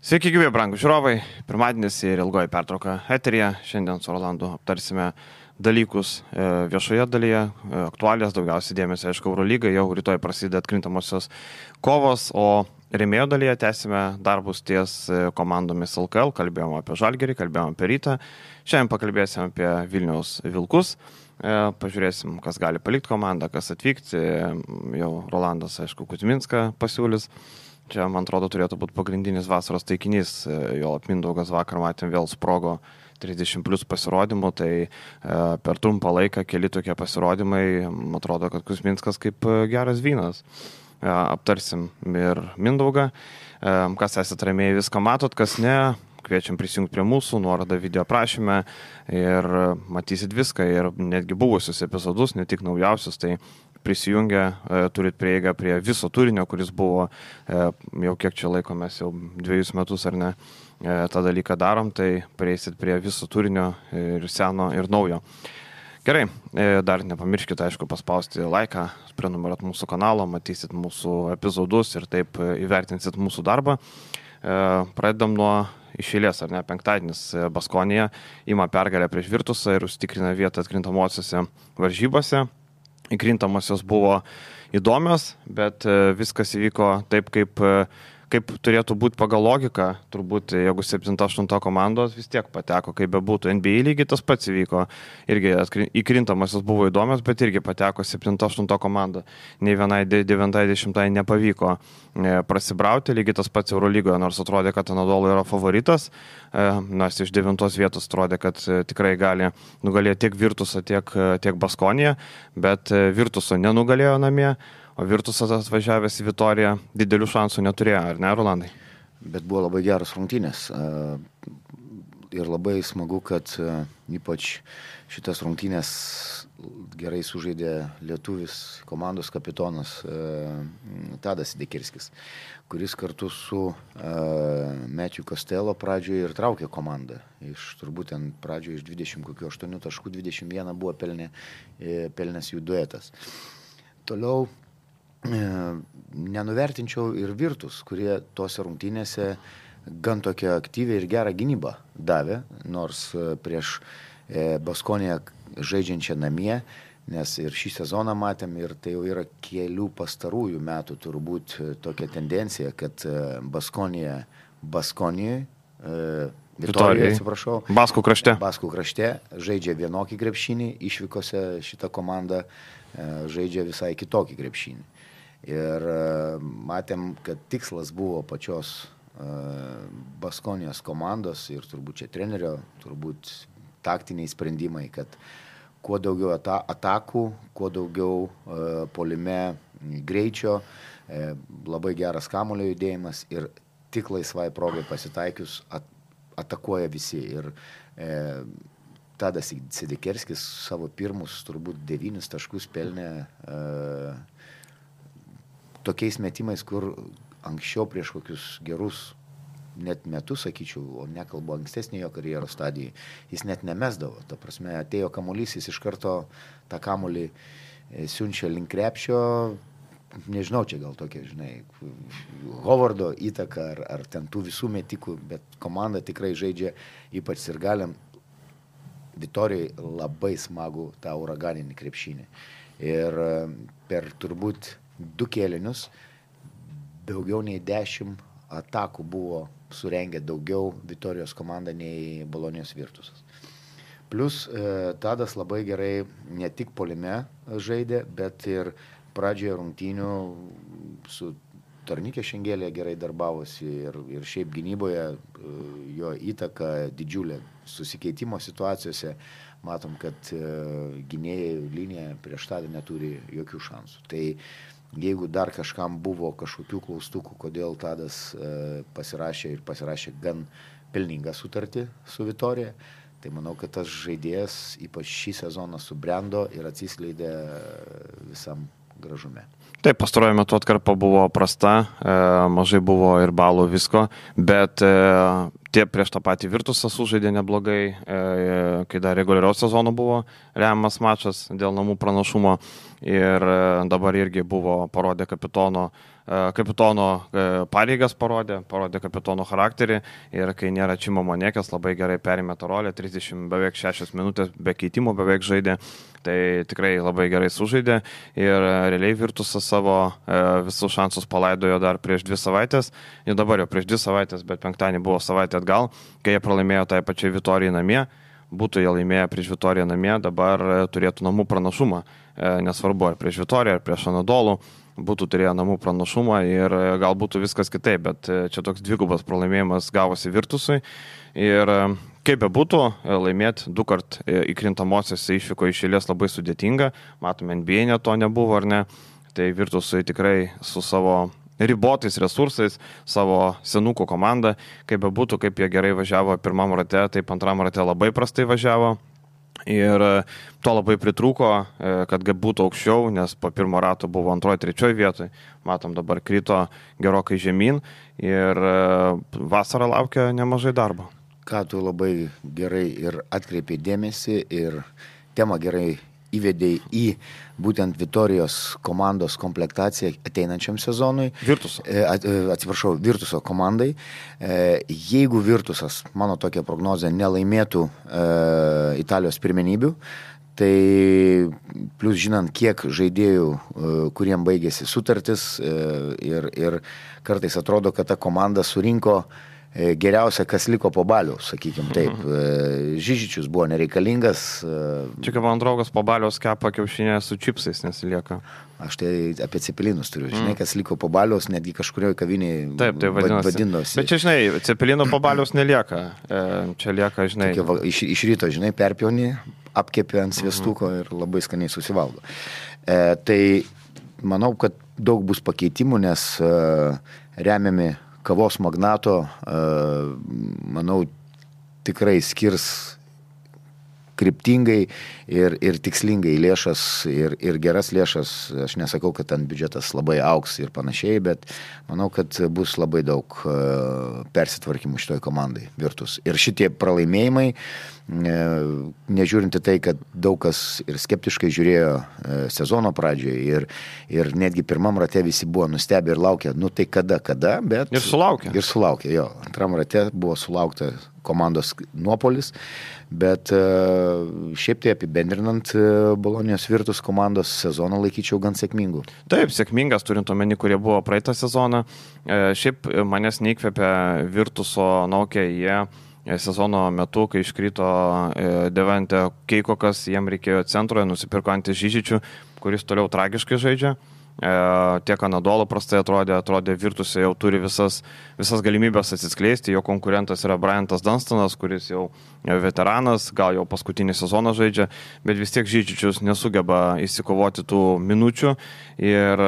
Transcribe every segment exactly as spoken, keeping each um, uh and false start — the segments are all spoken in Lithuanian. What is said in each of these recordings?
Sveiki, gyvi, brangūs žiūrovai. Pirmadienis ir ilgoji pertrauka eteryje. Šiandien su Rolandu aptarsime dalykus viešoje dalyje, aktualijas, daugiausiai dėmesio, aišku, Eurolygai, jau rytoj prasideda atkrintamosios kovos, o rėmėjo dalyje tęsime darbus ties komandomis L K L, kalbėjome apie Žalgirį, kalbėjome apie Rytą, šiandien pakalbėsim apie Vilniaus Vilkus, pažiūrėsim, kas gali palikti komandą, kas atvykti, jau Rolandas, aišku, Kuzminską pasiūlys. Čia, man atrodo, turėtų būti pagrindinis vasaros taikinys, jo Mindaugas vakar matėm vėl sprogo trisdešimt plus pasirodymų, tai e, per trumpą laiką keli tokie pasirodymai, man atrodo, kad Kuzminskas kaip geras vynas. E, aptarsim ir Mindaugą, e, kas esate rėmėjai, viską matot, kas ne, kviečiam prisijungti prie mūsų, nuorodą video prašyme ir matysit viską ir netgi buvusius epizodus, ne tik naujausius, tai prisijungę, e, turit prieigą prie viso turinio, kuris buvo e, jau kiek čia laiko, mes jau dviejus metus ar ne e, tą dalyką darom, tai prieisit prie viso turinio ir seno ir naujo. Gerai, e, dar nepamirškite, aišku, paspausti laiką, prenumeruot mūsų kanalą, matysit mūsų epizodus ir taip įvertinsit mūsų darbą. E, pradedam nuo iš eilės, ar ne, penktadienis Baskonija ima pergalę prieš Virtusą ir užtikrina vietą atkrintamosiose varžybose. Įkrintamosios buvo įdomios, bet viskas įvyko taip, kaip, kaip turėtų būti pagal logiką. Turbūt, jeigu septinta aštunta komandos vis tiek pateko, kaip bebūtų. N B A lygiai tas pats įvyko. Irgi įkrintamosios buvo įdomios, bet irgi pateko septinta aštunta komanda. Nei vienai devintai dešimtai nepavyko prasibrauti, lygiai tas pats Eurolygoje, nors atrodė, kad Anadolu yra favoritas, nors iš devintos vietos atrodė, kad tikrai gali nugalėti tiek Virtusą, tiek, tiek Baskoniją, bet Virtuso nenugalėjo namie, o Virtusas atvažiavęs į Vitoriją didelių šansų neturėjo, ar ne, Rolandai? Bet buvo labai geras rungtynės ir labai smagu, kad ypač šitas rungtynės gerai sužaidė lietuvis komandos kapitonas Tadas Dekirskis, kuris kartu su Mečiu Kostelo pradžioje ir traukė komandą. Iš turbūt ten pradžioje iš dvidešimt aštuonių taškų dvidešimt vieną buvo pelnė, pelnęs jų duetas. Toliau nenuvertinčiau ir Virtus, kurie tose rungtynėse gan tokią aktyvią ir gerą gynybą davė, nors prieš Baskoniją žaidžiančią namie, nes ir šį sezoną matėm ir tai jau yra kelių pastarųjų metų turbūt tokia tendencija, kad Baskonija Baskonijoje, Vitorijoje, atsiprašau, Baskų krašte. Baskų krašte žaidžia vienokį krepšinį, išvykose šitą komandą žaidžia visai kitokį krepšinį. Ir matėm, kad tikslas buvo pačios Baskonijos komandos ir turbūt čia trenerio, turbūt taktiniai sprendimai, kad kuo daugiau ata- atakų, kuo daugiau e, polime greičio, e, labai geras kamuolio judėjimas ir tik laisvai progai pasitaikius at, atakuoja visi. Ir e, Tadas Sidekerskis savo pirmus turbūt devynis taškus pelnė e, tokiais metimais, kur anksčiau prieš kokius gerus net metus, sakyčiau, o nekalbu ankstesnį jo karjeros stadijai, jis net nemesdavo. Ta prasme, atėjo kamuolys, jis iš karto tą kamuolį siunčia link krepšio, nežinau, čia gal tokia, žinai, Hovardo įtaka ar, ar ten tų visų metikų, bet komanda tikrai žaidžia, ypač sirgaliam, Vitorijai labai smagų tą uraganinį krepšinį. Ir per turbūt du kėlinius daugiau nei dešimt atakų buvo surengę daugiau Vitorijos komanda nei Bolonijos Virtusas. Plus e, Tadas labai gerai ne tik polime žaidė, bet ir pradžioje rungtynių su Tornikė Šengelė gerai darbavosi ir, ir šiaip gynyboje e, jo įtaka didžiulė. Susikeitimo situacijose matom, kad e, gynėjai linija prieš Tadą neturi jokių šansų. Tai jeigu dar kažkam buvo kažkokių klaustukų, kodėl Tadas e, pasirašė ir pasirašė gan pelningą sutartį su Vitorija, tai manau, kad tas žaidėjas ypač šį sezoną subrendo ir atsiskleidė visam gražume. Taip, pastaruoju metu atkarpa buvo prasta, e, mažai buvo ir balų visko, bet e, tie prieš tą patį Virtusą sužaidė neblogai, e, kai dar reguliariaus sezono buvo remiamas mačas dėl namų pranašumo ir e, dabar irgi buvo parodė kapitono kapitono pareigas parodė, parodė kapitono charakterį ir kai nėra Čimo Monekės, labai gerai perėmė tą rolę, trisdešimt beveik šešias minutės be keitimų beveik žaidė, tai tikrai labai gerai sužaidė ir realiai Virtusas savo visus šansus palaidojo dar prieš dvi savaitės, jau dabar jau prieš dvi savaitės, bet penktadienį buvo savaitė atgal, kai jie pralaimėjo tai pačiai Vitorijai namie. Būtų jie laimėję prieš Vitoriją namie, dabar turėtų namų pranašumą, nesvarbu ar prieš Vitoriją, ar prieš Anadolų, būtų turėję namų pranašumą ir gal būtų viskas kitaip, bet čia toks dvigubas pralaimėjimas gavosi Virtusui ir kaip be būtų, laimėti du kart įkrintamosiose išvyko iš eilės labai sudėtinga, matome N B A net to nebuvo ar ne, tai Virtusui tikrai su savo ribotais resursais, savo senukų komandą, kaip be būtų, kaip jie gerai važiavo pirmam rate, taip antram rate labai prastai važiavo ir to labai pritrūko, kad būtų aukščiau, nes po pirmo rato buvo antroji, trečioji vietoj, matom dabar krito gerokai žemyn ir vasarą laukia nemažai darbo. Ką tu labai gerai ir atkreipi dėmesį ir temą gerai įvedėjai į būtent Vitorijos komandos komplektaciją ateinančiam sezonui. Virtuso. Atsiprašau, Virtuso komandai. Jeigu Virtusas, mano tokia prognozė, nelaimėtų Italijos pirmenybių, tai plus žinant, kiek žaidėjų, kuriem baigėsi sutartis ir, ir kartais atrodo, kad ta komanda surinko geriausia, kas liko po baliaus, sakykime taip. Žižičius buvo nereikalingas. Čia kaip man draugas po baliaus kepa kiaušinę su čipsais nesilieka. Aš tai apie cepelinus turiu. Žinai, kas liko po baliaus, netgi kažkurioje kavinėje taip, tai vadinosi. Bet čia, žinai, cepelino po baliaus nelieka. Čia lieka, žinai. Tokia, iš, iš ryto, žinai, perpjauni, apkepė ant sviestuko ir labai skaniai susivalgo. E, tai manau, kad daug bus pakeitimų, nes e, remiami kavos magnato, manau, tikrai skirs kryptingai ir, ir tikslingai lėšas ir, ir geras lėšas. Aš nesakau, kad ten biudžetas labai augs ir panašiai, bet manau, kad bus labai daug persitvarkymų šitoj komandai Virtus. Ir šitie pralaimėjimai, nežiūrinti tai, kad daug kas ir skeptiškai žiūrėjo sezono pradžioje ir, ir netgi pirmam rate visi buvo nustebę ir laukia, nu tai kada, kada, bet... Ir sulaukė. Ir sulaukė, jo. Antram rate buvo sulaukta komandos nuopolis, bet šiaip tai apibendrinant Bolonijos Virtus komandos sezoną laikyčiau gan sėkmingų. Taip, sėkmingas, turint omeny, kurie buvo praeitą sezoną. Šiaip manęs neįkvėpė Virtuso Naukė, jie sezono metu, kai iškrito Devante Keikokas, jiem reikėjo centroje, nusipirko Antis Žižičių, kuris toliau tragiškai žaidžia. Tiek Anadolo prastai atrodė, atrodė Virtuse jau turi visas, visas galimybės atsiskleisti, jo konkurentas yra Bryantas Dunstonas, kuris jau veteranas, gal jau paskutinį sezoną žaidžia, bet vis tiek Žižičius nesugeba įsikovoti tų minučių ir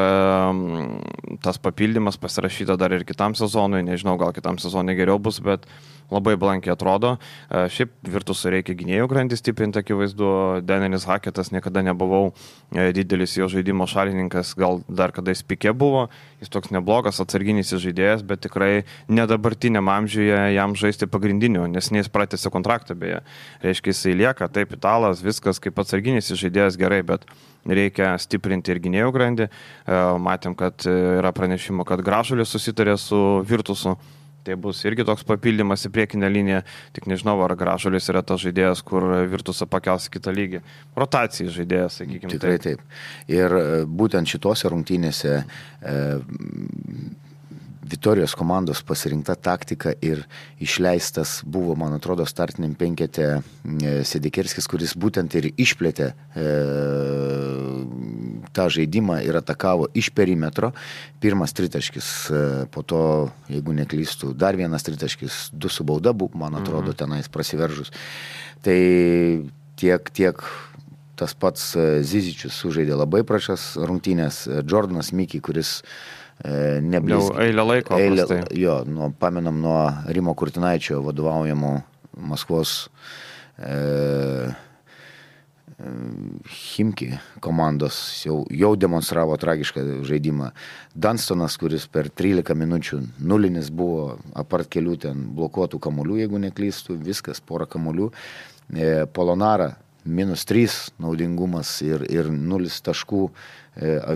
tas papildymas pasirašyta dar ir kitam sezonui, nežinau, gal kitam sezonui geriau bus, bet labai blankiai atrodo. Šiaip Virtusui reikia gynėjų grandį stiprinti, akivaizdu, Denelis Haketas, niekada nebuvau didelis jo žaidimo šalininkas, gal dar kada jis pikė buvo, jis toks neblogas atsarginis žaidėjas, bet tikrai nedabartiniam amžiuje jam žaisti pagrindiniu, nes jis pratęsė kontraktą beje. Reiškia, jisai lieka, taip, italas, viskas kaip atsarginis žaidėjas gerai, bet reikia stiprinti ir gynėjų grandį. Matėm, kad yra pranešimo, kad Gražulis susitarė su Virtusu. Tai bus irgi toks papildymas į priekinę liniją, tik nežinau, ar Gražulis yra tas žaidėjas, kur Virtusą pakels į kitą lygį. Rotacijai žaidėjas, sakykime. Tikrai taip. Ir būtent šitose rungtynėse e, Vitorijos komandos pasirinkta taktika ir išleistas buvo, man atrodo, startiniam penkete Sedekerskis, kuris būtent ir išplėtė e, tą žaidimą ir atakavo iš perimetro. Pirmas tritaškis, e, po to, jeigu neklystų, dar vienas tritaškis, du su bauda buvo, man atrodo, tenais prasiveržus. Tai tiek, tiek tas pats Zizičius sužaidė labai prašas rungtynės. Jordanas Mickey, kuris Neblizg... Jau eilę laiko. Eilę, jo, nuo, pamenam nuo Rimo Kurtinaičio vadovaujamų Maskvos e, Chimki komandos jau, jau demonstravo tragišką žaidimą. Dunstonas, kuris per trylika minučių nulinis buvo, apart kelių ten blokuotų kamuolių, jeigu neklystų, viskas, porą kamuolių. E, Polonara minus trys naudingumas ir, ir nulis taškų,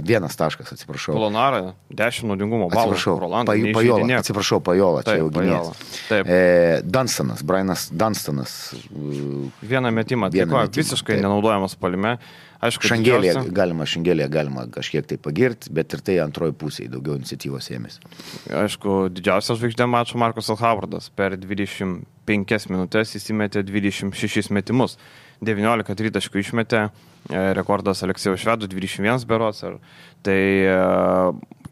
vienas taškas, atsiprašau. Polonara, dešimt naudingumo balų. Atsiprašau, Paj, Pajola, atsiprašau, Pajola, čia jau gynėjas. E, Dunstanas, Brianas Dunstanas. Vieną metimą atliko, visiškai taip. Nenaudojamas palime. Aišku, Šangelė, didžiausia... galima, Šangelė galima kažkiek tai pagirti, bet ir tai antroji pusėje daugiau iniciatyvos ėmėsi. Aišku, didžiausias žvaigždė mačo Markus Alhavardas. Per dvidešimt penkias minutės įsimetė dvidešimt šešis metimus. devyniolika tritaškų išmetė, rekordas Aleksejus Švedų, dvidešimt vienas berods. Tai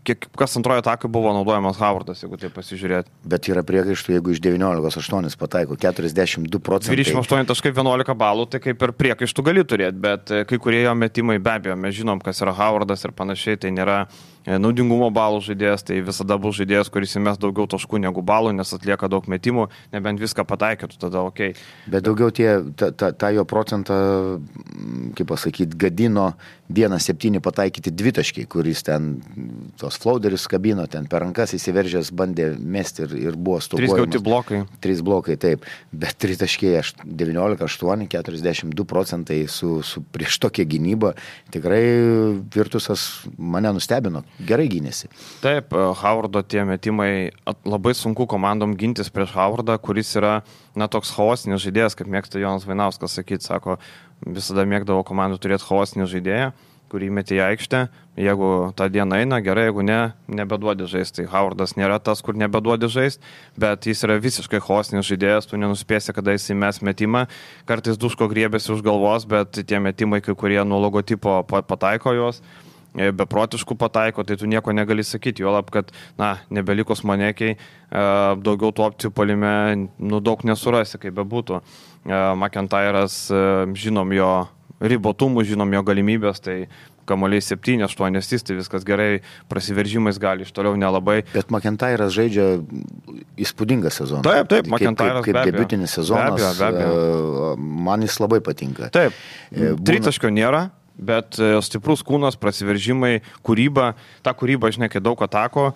kiek, kas antrojo atakai buvo naudojamas Havardas, jeigu tai pasižiūrėti. Bet yra priekaištų, jeigu iš devyniolikos aštuonis pataiko keturiasdešimt du procentai. dvidešimt aštuoni taškai vienuolika balų, tai kaip ir priekaištų gali turėti, bet kai kurie jo metimai be abejo, mes žinom, kas yra Havardas ir panašiai, tai nėra naudingumo balų žaidėjas, tai visada bus žaidėjas, kuris įmes daugiau taškų negu balų, nes atlieka daug metimų, nebent viską pataikytų, tada ok. Bet daugiau tie, ta, ta, ta jo procentą, kaip pasakyti, gadino vienas septyni pataikyti dvitaškiai, kuris ten tos flauderis kabino, ten per rankas įsiveržęs bandė mesti ir, ir buvo stokojamas. Trys gauti blokai. Trys blokai, taip. Bet tritaškiai devyniolika aštuoni, keturiasdešimt du procentai su, su prieš tokią gynybą. Tikrai Virtusas mane nustebino. Gerai gynėsi. Taip, Havardo tie metimai, labai sunku komandom gintis prieš Havardą, kuris yra, na, toks chaosinis žaidėjas, kaip mėgsta Jonas Vainauskas sakyti, sako, visada mėgdavo komandų turėti chaosinį žaidėją, kurį metė į aikštę, jeigu tą dieną eina, gerai, jeigu ne, nebeduodi žaisti. Tai Havardas nėra tas, kur nebeduodi žaisti, bet jis yra visiškai chaosinis žaidėjas, tu nenuspėsi, kada jis įmes metimą, kartais duško griebėsi už galvos, bet tie metimai, kai kurie nuo logotipo pataiko jos, beprotiškų pataiko, tai tu nieko negali sakyti, juolab, kad, na, nebelikus Manekiai, daugiau tų opcijų puolime, nu, daug nesurasi, kaip bebūtų. McIntyras, žinom jo ribotumų, žinom jo galimybės, tai kamuoliai septyni aštuoni, tai viskas gerai, prasiveržimais gali, iš toliau nelabai. Bet McIntyras žaidžia įspūdingą sezoną. Taip, taip, McIntyras kaip, kaip, kaip debiutinis sezonas, be abejo, be abejo. Man jis labai patinka. Taip, Būna... tritaškio nėra. Bet stiprus kūnas, prasiveržimai, kūryba, ta kūryba, žinai, kai daug atako,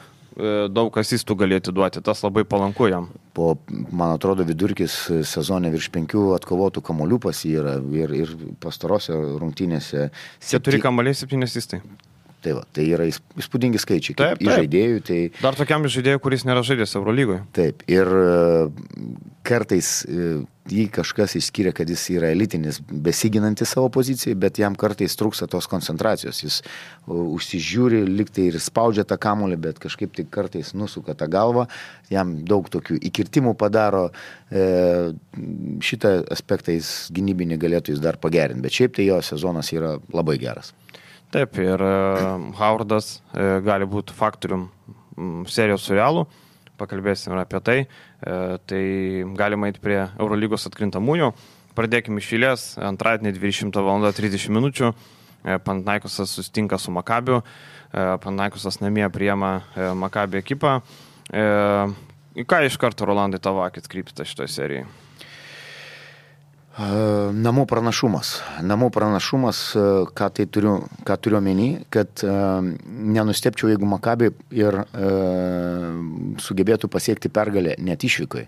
daug asistų galėtų duoti, tas labai palanku jam. Po, man atrodo, vidurkis sezone virš penkių atkovotų kamuolių pas jį yra ir, ir pastarose rungtynėse. Keturi kamuoliai, septyni asistai. Tai, va, tai yra įspūdingi skaičiai. Taip, taip. Žaidėjų, tai... Dar tokiam žaidėjui, kuris nėra žaidęs Eurolygoje. Taip, ir kartais jį kažkas išskiria, kad jis yra elitinis, besiginantis savo pozicijai, bet jam kartais trūksta tos koncentracijos. Jis užsižiūri, liktai ir spaudžia tą kamuolį, bet kažkaip tai kartais nusuka tą galvą, jam daug tokių įkirtimų padaro. Šitą aspektą jis gynybinį galėtų jis dar pagerinti, bet šiaip tai jo sezonas yra labai geras. Taip, ir uh, Havardas uh, gali būti faktorium um, serijos su Realu, pakalbėsime apie tai. Uh, tai galima eiti prie Eurolygos atkrintamųjų. Pradėkime iš eilės, antradienį dvidešimtą valandą trisdešimt minučių. Uh, Panathinaikosas susitinka su Makabiu. Uh, Panathinaikosas namie priima uh, Makabi ekipą. Uh, į ką iš karto, Rolandai, tavo akis krypsta šitoje serijoje? Namų pranašumas. Namų pranašumas, ką tai turiu, ką turiu omeny, kad uh, nenustepčiau, jeigu Makabi ir uh, sugebėtų pasiekti pergalę net išvykai.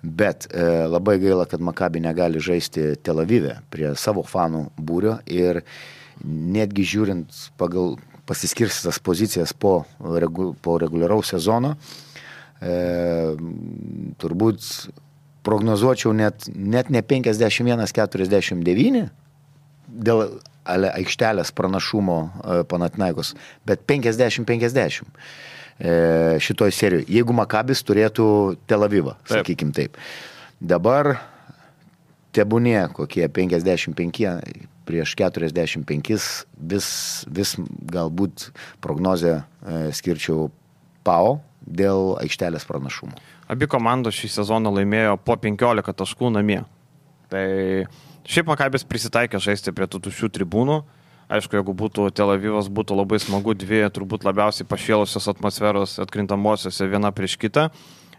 Bet uh, labai gaila, kad Makabi negali žaisti Tel Avive prie savo fanų būrio ir netgi žiūrint pagal pasiskirstytas pozicijas po, regu, po reguliaraus sezono, uh, turbūt prognozuočiau net, net ne penkiasdešimt vienas keturiasdešimt devyni dėl aikštelės pranašumo Panathinaikos, bet penkiasdešimt penkiasdešimt e, šitoj serijoje, jeigu Makabis turėtų Tel Avivą, sakykim taip. Dabar tebūnė kokie penkiasdešimt penki prieš keturiasdešimt penki, vis, vis galbūt prognozę e, skirčiau Pau dėl aikštelės pranašumo. Abi komandos šį sezoną laimėjo po penkiolika taškų namie. Tai šiaip Makabis prisitaikė žaisti prie tų tuščių tribūnų. Aišku, jeigu būtų Tel Avivas, būtų labai smagu, dvi turbūt labiausiai pašėlusios atmosferos atkrintamosiose viena prieš kitą,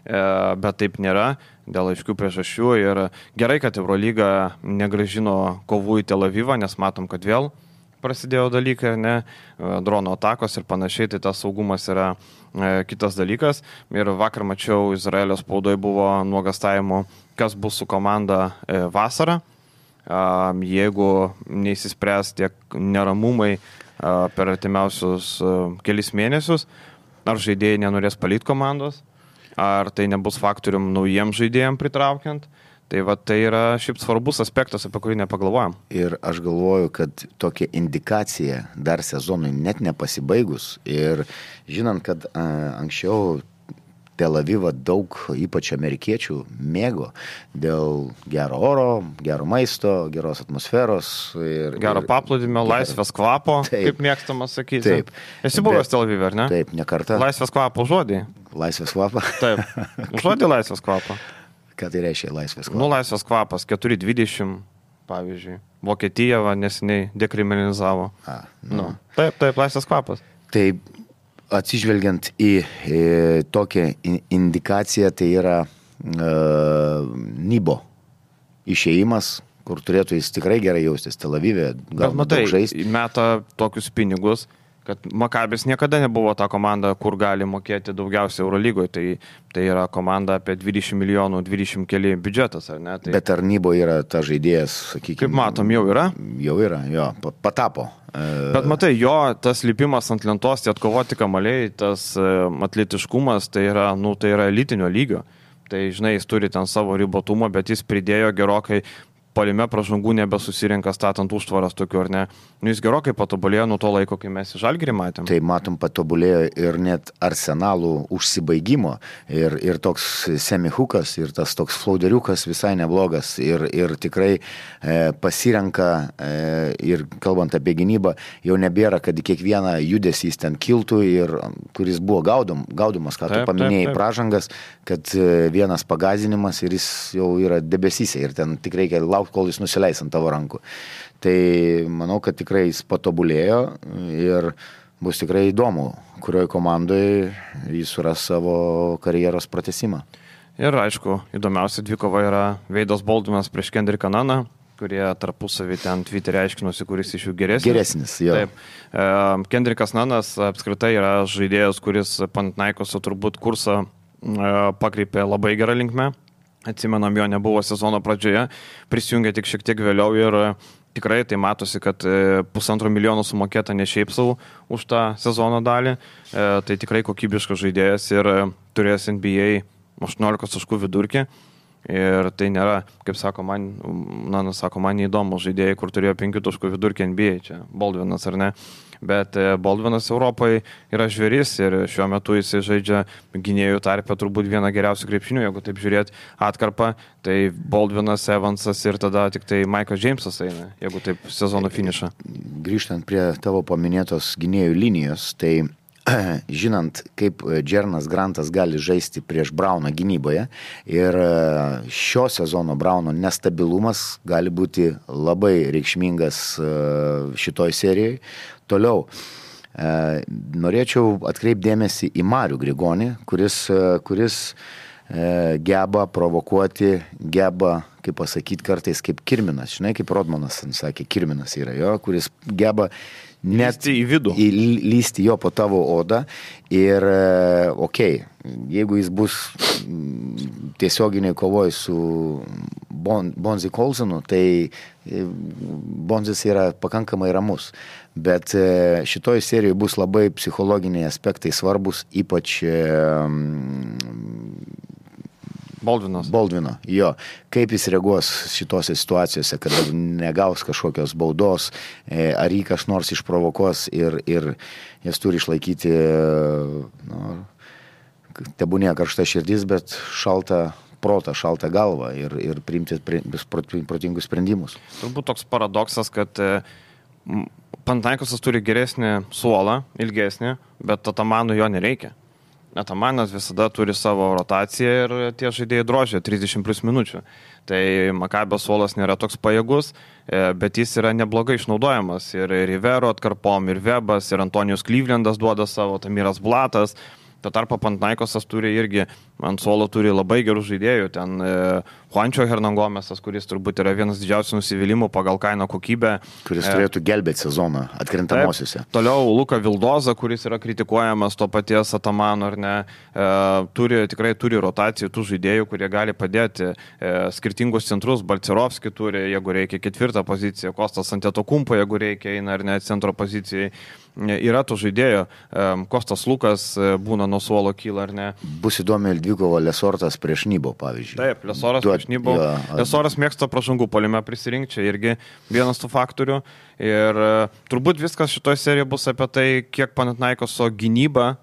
bet taip nėra dėl aiškių priežasčių. Ir gerai, kad Eurolyga negrąžino kovų į Tel Avivą, nes matom, kad vėl prasidėjo dalykai, ne, drono atakos ir panašiai, tai tas saugumas yra e, kitas dalykas. Ir vakar mačiau, Izraelio spaudoje buvo nuogastavimų, kas bus su komanda e, vasarą. jeigu neįsispręs tiek neramumai per artimiausius kelis mėnesius, ar žaidėjai nenorės palikti komandos, ar tai nebus faktorium naujiem žaidėjim pritraukiant. Tai va, tai yra šiaip svarbus aspektas, apie kurį nepagalvojam. Ir aš galvoju, kad tokia indikacija dar sezonui net nepasibaigus ir žinant, kad a, anksčiau Tel Avivą daug, ypač amerikiečių, mėgo dėl gero oro, gero maisto, geros atmosferos. Ir, gero paplūdimio, laisvės kvapo, taip, kaip mėgstama sakyti. Taip. Esi buvęs Tel Avive, ar ne? Taip, ne kartą. Laisvės kvapo žodį. Laisvės kvapą? Taip. Žodį laisvės kvapo. Ką tai reiškia laisvės kvapas? Nu, laisvės kvapas, keturi dvidešimt, pavyzdžiui. Vokietija va, neseniai dekriminalizavo. A, nu. Nu. Taip, taip, laisvės kvapas. Tai atsižvelgiant į, į tokią indikaciją, tai yra uh, Nibo išėjimas, kur turėtų jis tikrai gerai jaustis Tel Avive, gal matai, daug žaisti. Meta tokius pinigus, kad Makabis niekada nebuvo ta komanda, kur gali mokėti daugiausiai Eurolygoje. Tai, tai yra komanda apie dvidešimt milijonų, dvidešimt keli biudžetas, ar ne? Tai... Bet ar Nibo yra ta žaidėjas, sakykime... Kaip matom, jau yra? Jau yra, jo, patapo. Bet matai, jo tas lipimas ant lentos, tie atkovoti kamaliai, tas atletiškumas, tai yra, nu, tai yra elitinio lygio. Tai, žinai, jis turi ten savo ribotumą, bet jis pridėjo gerokai puolime pražangų nebesusirinka statant užtvaras tokiu, ar ne? Nu, jis gerokai patobulėjo nuo to laiko, kai mes į Žalgirį matėm. Tai matom, patobulėjo ir net Arsenalų užsibaigimo ir, ir toks semihukas, ir tas toks flauderiukas visai neblogas ir, ir tikrai e, pasirenka e, ir kalbant apie gynybą, jau nebėra, kad į kiekvieną judesį jis ten kiltų ir kuris buvo gaudom, gaudomas, ką taip, tu paminėjai, taip, taip. Pražangas, kad e, vienas pagazinimas ir jis jau yra debesyse ir ten tik reikia laukti, kol jis nusileis ant tavo rankų. Tai manau, kad tikrai jis patobulėjo ir bus tikrai įdomu, kurioje komandoje jis suras savo karjeros pratęsimą. Ir aišku, įdomiausia dvikova yra Veidas Baldvinas prieš Kendricką Naną, kurie tarpusavį ten Twitter'e aiškinosi, kuris iš jų geresnis. Geresnis, jo. Taip. Kendrickas Nanas apskritai yra žaidėjas, kuris Panathinaikose turbūt kursą pakreipė labai gerą linkmę. Atsimenam, jo nebuvo sezono pradžioje, prisijungė tik šiek tiek vėliau ir tikrai tai matosi, kad pusantro milijono sumokėta ne šiaip savo už tą sezono dalį. Tai tikrai kokybiškas žaidėjas ir turės N B A aštuoniolikos taškų vidurkį. Ir tai nėra, kaip sako man, na, sako man neįdomu žaidėjai, kur turėjo penkių taškų vidurkį N B A, čia Baldvinas ar ne. Bet Baldvinas Europoje yra žvėris ir šiuo metu jis žaidžia gynėjų tarpe turbūt vieną geriausių krepšinių, jeigu taip žiūrėt atkarpą, tai Baldvinas, Evansas ir tada tik tai Maikas Džeimsas eina, jeigu taip sezono finišą. Grįžtant prie tavo paminėtos gynėjų linijos, tai žinant, kaip Džernas Grantas gali žaisti prieš Brauną gynyboje ir šio sezono Brauno nestabilumas gali būti labai reikšmingas šitoj serijai. Toliau, norėčiau atkreipdėmėsi į Marių Grigonį, kuris, kuris geba provokuoti, geba, kaip pasakyti, kartais kaip Kirminas, žinai, kaip Rodmanas sakė, Kirminas yra jo, kuris geba net lysti į vidų, į, lysti jo po tavo odą ir, okei, okay, jeigu jis bus tiesioginiai kovoj su bon, Bonzi Colsonu, tai Bonzis yra pakankamai ramus, bet šitoj serijoje bus labai psichologiniai aspektai svarbus, ypač Baldvinas. Baldvino, jo. Kaip jis reaguos šitose situacijose, kad negaus kažkokios baudos, ar jį kas nors išprovokos ir, ir jis turi išlaikyti, nu, tebūnė karšta širdis, bet šaltą protą, šaltą galvą ir, ir priimti protingus sprendimus. Turbūt toks paradoksas, kad Panathinaikosas turi geresnį suolą, ilgesnį, bet Atamanui jo nereikia. Atamanas visada turi savo rotaciją ir tie žaidėjai drožia trisdešimt plus minučių. Tai Makabio suolas nėra toks pajėgus, bet jis yra neblogai išnaudojamas. Ir Rivero atkarpom, ir Webas, ir Antonijus Clevelandas duoda savo, Tamiras Blatas. Tuo tarpu Panathinaikosas turi irgi, ant suolo turi labai gerų žaidėjų, ten e, Juančio Hernangomesas, kuris turbūt yra vienas didžiausių nusivylimų pagal kainą kokybę. Kuris e, turėtų gelbėti sezoną atkrintamosiuose. Taip, toliau Luka Vildoza, kuris yra kritikuojamas to paties Atamano, ar ne, e, turi, tikrai turi rotacijų tų žaidėjų, kurie gali padėti e, skirtingus centrus. Balcerovski turi, jeigu reikia, ketvirtą poziciją, Kostas Antetokumpo, jeigu reikia, eina ar ne centro pozicijai. Yra tų žaidėjų, Kostas Lukas būna nuo suolo kyla, ar ne. Bus įdomi dvikova Lesortas prieš Nybo, pavyzdžiui. Taip, Lesoras Duot, prieš Nybo. Jo, Lesoras mėgsta pražangų puolime prisirinkti, čia irgi vienas tų faktorių. Ir turbūt viskas šitoje serijoje bus apie tai, kiek Panathinaikoso gynyba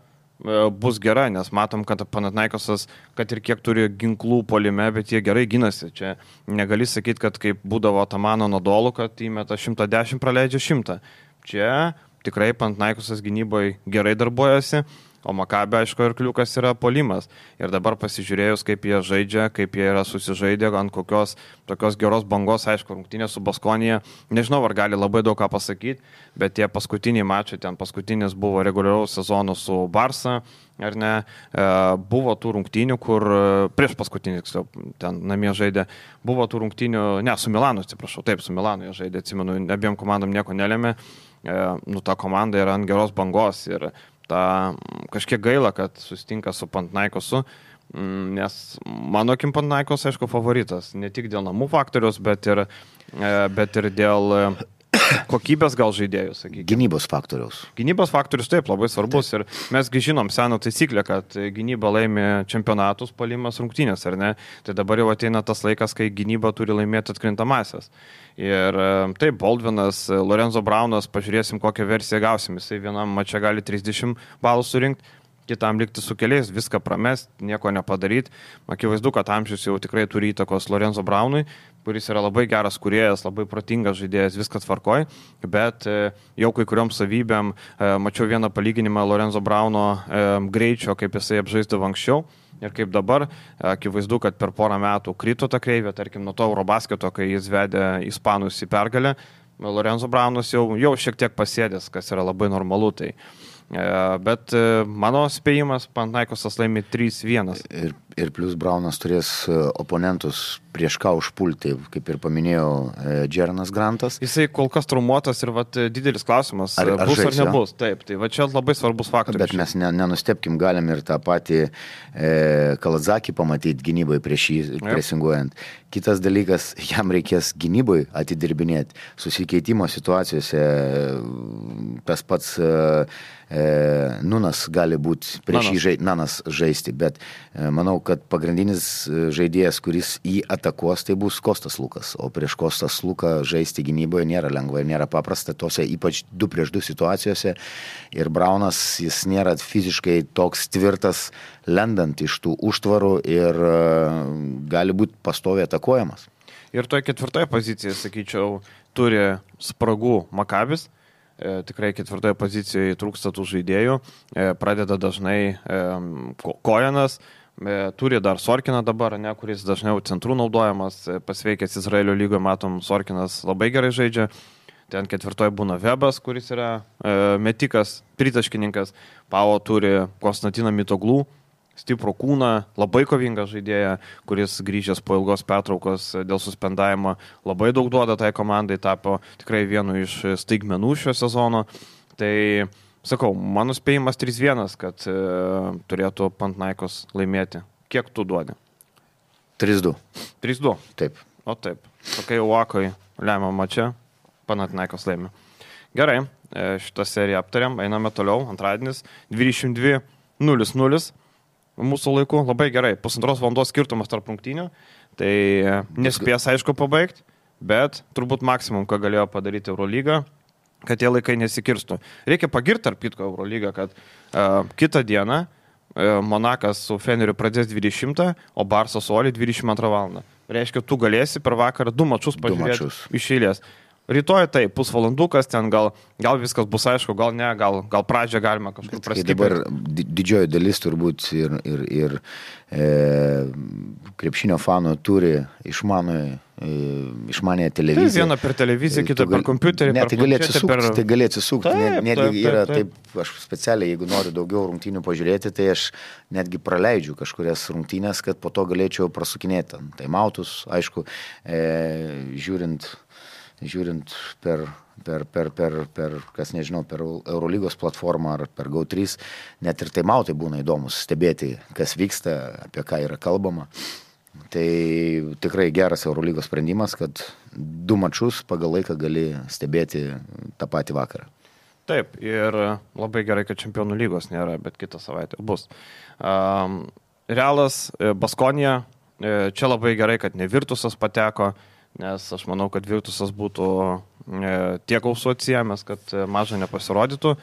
bus gera, nes matom, kad Panathinaikosas, kad ir kiek turi ginklų puolime, bet jie gerai ginasi. Čia negali sakyti, kad kaip būdavo Atamano Nodolų, kad įmeta šimtą dešimt, praleidžia šimtą. Čia tikrai Panathinaikosas gynyboje gerai darbuojasi, o Makabė, aišku, ir kliukas yra puolimas. Ir dabar pasižiūrėjus, kaip jie žaidžia, kaip jie yra susižaidę, ant kokios tokios geros bangos, aišku, rungtynė su Baskonija, nežinau, ar gali labai daug ką pasakyti, bet tie paskutiniai mačai, ten paskutinis buvo reguliaraus sezono su Barsa, ar ne, buvo tų rungtynių, kur prieš paskutinį, ten namie žaidė, buvo tų rungtynių, ne, su Milanu, atsiprašau, taip, su Milanu jie žaidė, atsimenu, abiem komandom nieko nelėmė, nu, ta komanda yra ant geros bangos ir ta, kažkiek gaila, kad susitinka su Panathinaikosu, nes mano akim Panathinaikos, aišku, favoritas, ne tik dėl namų faktorius, bet ir, bet ir dėl kokybės gal žaidėjų, sakykime. Gynybos faktoriaus. Gynybos faktorius taip labai svarbus taip. Ir mesgi žinom seną taisyklę, kad gynyba laimi čempionatus, puolimas rungtynės, ar ne? Tai dabar jau ateina tas laikas, kai gynyba turi laimėti atkrintamąsias. Ir taip, Baldvinas, Lorenzo Braunas, pažiūrėsim, kokią versiją gausim. Jisai vienam mače gali trisdešimt balų surinkti, kitam likti su keliais, viską pramest, nieko nepadaryti. Akivaizdu, kad amžius jau tikrai turi įtakos Lorenzo Braunui, kuris yra labai geras kūrėjas, labai protingas žaidėjas, viskas tvarkoj, bet jau kai kuriom savybėm mačiau vieną palyginimą Lorenzo Brauno greičio, kaip jisai apžaisdavo anksčiau. Ir kaip dabar, akivaizdu, kad per porą metų krito ta kreivė, tarkim, nuo to Eurobasketo, kai jis vedė Ispanus į pergalę, Lorenzo Braunas jau, jau šiek tiek pasėdęs, kas yra labai normalu. Tai. Bet mano spėjimas, Panathinaikosas laimi trys vienas. Ir, ir plus Braunas turės oponentus prieš ką užpulti, kaip ir paminėjau, Džeranas Grantas. Jisai kol kas traumuotas ir vat, didelis klausimas, ar, ar bus žais, ar nebus. Jo? Taip, tai va čia labai svarbus faktorius. Bet mes ne, nenustepkim, galim ir tą patį e, Kaladzakį pamatyti gynybai prieš jį presinguojant. Kitas dalykas, jam reikės gynybai atidirbinėti. Susikeitimo situacijose tas pats e, e, Nunas gali būti prieš jį žai, Nanas žaisti, bet e, manau, kad pagrindinis žaidėjas, kuris jį atakuos, tai bus Kostas Lukas, o prieš Kostas Luką žaisti gynyboje nėra lengva ir nėra paprasta, tose ypač du prieš du situacijose. Ir Braunas, jis nėra fiziškai toks tvirtas, lendant iš tų užtvarų ir uh, gali būti pastoviai atakuojamas. Ir toje ketvirtoje pozicijoje, sakyčiau, turi spragų Makabis. E, tikrai ketvirtoje pozicijoje trūksta tų žaidėjų. E, pradeda dažnai e, Kojenas. Turi dar Sorkiną dabar, ne, kuris dažniau centrų naudojamas, pasveikęs Izraelio lygoje, matom, Sorkinas labai gerai žaidžia. Ten ketvirtoje būna Vebas, kuris yra e, metikas, tritaškininkas. Pavo turi Konstantiną Mitoglų, stiprų kūną, labai kovingą žaidėją, kuris grįžęs po ilgos pertraukos dėl suspendavimo labai daug duoda tai komandai, tapo tikrai vienu iš staigmenų šio sezono. Tai sakau, mano spėjimas trys vienas, kad e, turėtų Panathinaikos laimėti. Kiek tu duodi? trys du. trys du? Taip. O taip. Tokai Uakoj lemia mače, Panathinaikos laimė. Gerai, e, šitą seriją aptariam, einame toliau. Antradienis, dvidešimt du nulis nulis. Mūsų laiku labai gerai. Pusantros valandos skirtumas tarp rungtynių. Tai e, nespės, aišku, pabaigti, bet turbūt maksimum, ką galėjo padaryti Eurolyga, kad tie laikai nesikirstų. Reikia pagirti tarp kitko Eurolygą, kad uh, kitą dieną uh, Monakas su Feneriu pradės dvidešimtą, o Barsa su Oli dvidešimt antrą valandą. Reiškia, tu galėsi per vakarą du mačus pažiūrėti iš eilės. rytoj tai pusvalandukas, ten gal, gal viskas bus aišku, gal ne, gal, gal pradžią galima kažkur prastiprinti. Dabar didžioji dalis turbūt ir, ir, ir e, krepšinio fanų turi išmanųjį išmanė televiziją. Tai viena per televiziją, kita per kompiuterį. Ne, per tai gali atsisukti, per... tai gali atsisukti. Taip, netgi taip, yra taip, taip, aš specialiai, jeigu noriu daugiau rungtynių pažiūrėti, tai aš netgi praleidžiu kažkurias rungtynės, kad po to galėčiau prasukinėti taimautus, aišku, e, žiūrint, žiūrint per, per, per, per, per, kas nežinau, per Eurolygos platformą ar per Go trys, net ir taimautai būna įdomus stebėti, kas vyksta, apie ką yra kalbama. Tai tikrai geras Eurolygos sprendimas, kad du mačus pagal laiką gali stebėti tą patį vakarą. Taip, ir labai gerai, kad Čempionų lygos nėra, bet kitą savaitę bus. Um, Realas, Baskonija, čia labai gerai, kad ne Virtusas pateko, nes aš manau, kad Virtusas būtų tiek ausų atsijėmęs, kad maža nepasirodytų.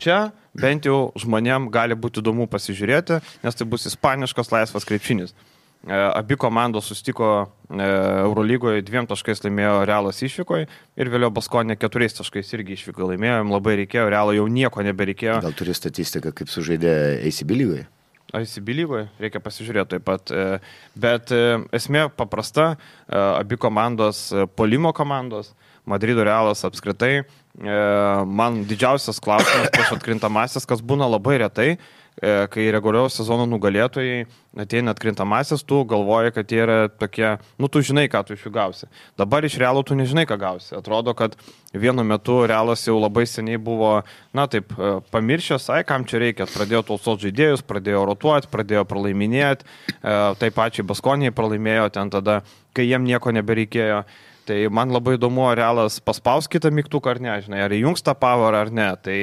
Čia bent jau žmonėm gali būti įdomu pasižiūrėti, nes tai bus ispaniškas laisvas krepšinis. Abi komandos sustiko Eurolygoje, dviem taškais laimėjo Realas išvykoje ir vėliau Baskonė keturiais taškais irgi išvykoje laimėjo, jam labai reikėjo, Realo jau nieko nebereikėjo. Gal turi statistiką, kaip sužaidė A C B lygoje? A C B lygoje, reikia pasižiūrėti taip pat, bet esmė paprasta, abi komandos, puolimo komandos, Madrido Realas apskritai, man didžiausias klausimas prieš atkrintamasis, kas būna labai retai, kai reguliaus sezono nugalėtojai ateina atkrintamasis, tu galvoji, kad jie yra tokie, nu tu žinai, ką tu iš jų gausi. Dabar iš Realo tu nežinai, ką gausi. Atrodo, kad vienu metu Realas jau labai seniai buvo, na taip, pamiršęs, ai, kam čia reikia. Pradėjo tausot žaidėjus, pradėjo rotuoti, pradėjo pralaiminėti, taip pačiai Baskonijai pralaimėjo ten tada, kai jiem nieko nebereikėjo. Tai man labai įdomu, ar Realas paspaus kitą mygtuką ar ne, žinai, ar įjungs tą power ar ne. Tai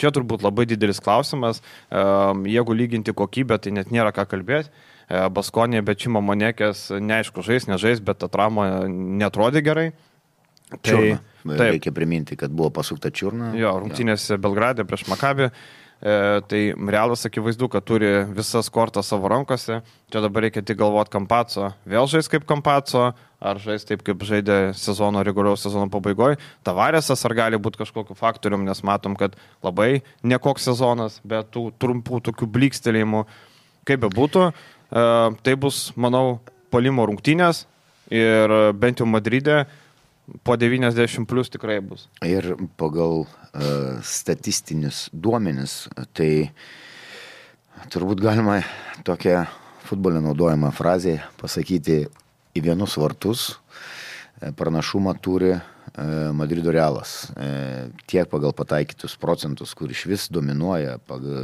čia turbūt labai didelis klausimas. Jeigu lyginti kokybę, tai net nėra ką kalbėti. Baskonė, bet Čimo Monekės, neaišku, žais, nežais, bet atramo netrodė gerai. Čiurna. Tai, reikia priminti, kad buvo pasukta čiurna. Jo, rungtynėse Belgrade prieš Makabį. E, tai Realas akivaizdu, kad turi visas kortas savo rankose. Čia dabar reikia tik galvoti Kampaco. Vėl žais kaip Kampaco, ar žais taip, kaip žaidė sezono, reguliaus sezono pabaigoje. Tavarėsas ar gali būti kažkokiu faktorium, nes matom, kad labai nekoks sezonas, bet tų trumpų tokių blykstelėjimų, kaip be būtų. E, tai bus, manau, puolimo rungtynės ir bent jau Madride po devyniasdešimt plus tikrai bus. Ir pagal uh, statistinius duomenis, tai turbūt galima tokią futbole naudojamą frazę pasakyti, į vienus vartus pranašumą turi uh, Madrido Realas. Uh, tiek pagal pataikytus procentus, kur iš vis dominuoja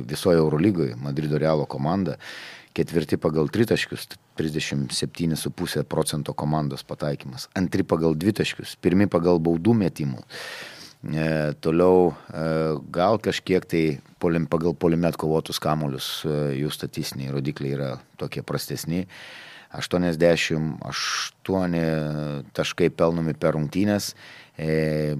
visoje Eurolygoje Madrido Realo komanda. Ketvirti pagal tritaškius, trisdešimt septyni su pusė procento komandos pataikymas. Antri pagal dvitaškius, pirmi pagal baudų metimų. E, toliau e, gal kažkiek tai polim, pagal polimet kovotus kamuolius e, jų statistiniai rodikliai yra tokie prastesni. aštuoniasdešimt aštuoni taškai pelnomi per rungtynes. E,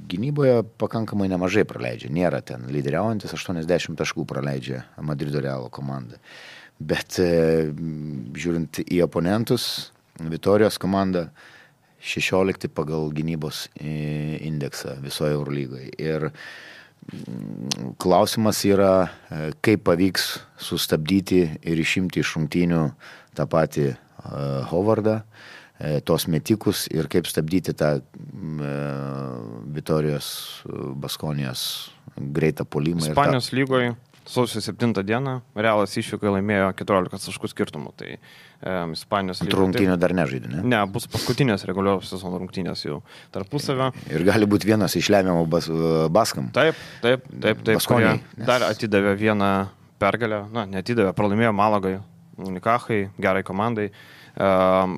gynyboje pakankamai nemažai praleidžia. Nėra ten lyderiaujantis, aštuoniasdešimt taškų praleidžia Madrido Realo komanda. Bet e, žiūrint į oponentus, Vitorijos komanda šešiolikti pagal gynybos e, indeksą visoje Eurolygoje. Ir m, klausimas yra, e, kaip pavyks sustabdyti ir išimti iš rungtynių tą patį e, Hovardą, e, tos metikus ir kaip stabdyti tą e, Vitorijos Baskonijos greitą puolimą. Ispanijos tą... lygoje. Sausio septintą dieną Realas išvykoje laimėjo keturiolika taškų skirtumų. Tai e, Ispanijos lygoje. Rungtynės dar nežaidė, ne? Ne, bus paskutinės reguliaros sezono rungtynės jau tarpusavio. Ir gali būti vienas iš lemiamų bas, Baskam. Taip, taip, taip, taip. Baskoniai. Nes... Dar atidavė vieną pergalę, na, neatidavė, pralaimėjo Malagai, Unikachai, gerai komandai. E,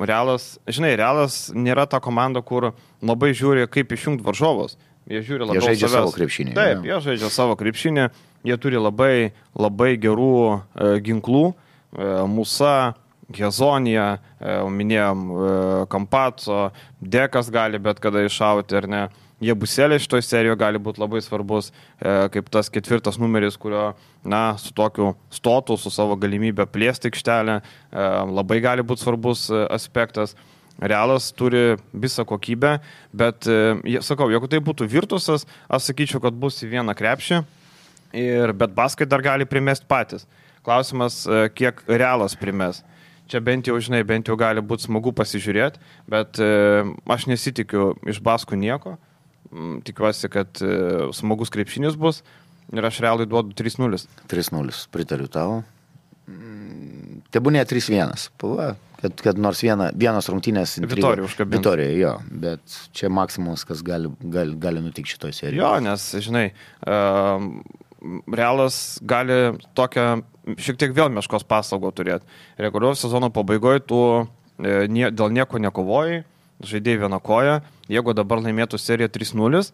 Realas, žinai, Realas nėra ta komanda, kur labai žiūri, kaip išjungti varžovus. Jie žiūri labiau savęs. Jie žaidžia savęs. savo krepšinį. Taip, jie žaidžia savo krepšinį. Jie turi labai, labai gerų e, ginklų. E, Musa, Hezonija, e, minėjom e, Kampaco, Dekas gali bet kada iššauti ar ne. Jie Buselė šitoj serijoje gali būti labai svarbus, e, kaip tas ketvirtas numeris, kurio, na, su tokiu stotu, su savo galimybę plėsti aikštelę, e, labai gali būti svarbus e, aspektas. Realas turi visą kokybę, bet, sakau, jeigu tai būtų Virtusas, aš sakyčiau, kad bus į vieną krepšį, ir, bet Baskai dar gali primesti patys. Klausimas, kiek Realas primes. Čia bent jau, žinai, bent jau gali būti smagu pasižiūrėti, bet aš nesitikiu iš Baskų nieko. Tikiuosi, kad smagus krepšinis bus ir aš Realui duodu trys nulis. trys nulis, pritariu tau. Tebūnė trys vienas. Pava. Kad, kad nors viena, vienos rungtynės Vitorija užkabins. Vitorija, jo, bet čia maksimumas, kas gali, gali, gali nutikti šitoj serijoje. Jo, nes, žinai, uh, Realas gali tokią šiek tiek vėl meškos paslaugą turėti. Reguliaraus sezono pabaigoje tu e, nie, dėl nieko nekovojai, žaidėjai vieną koją, jeigu dabar laimėtų seriją trys nulis,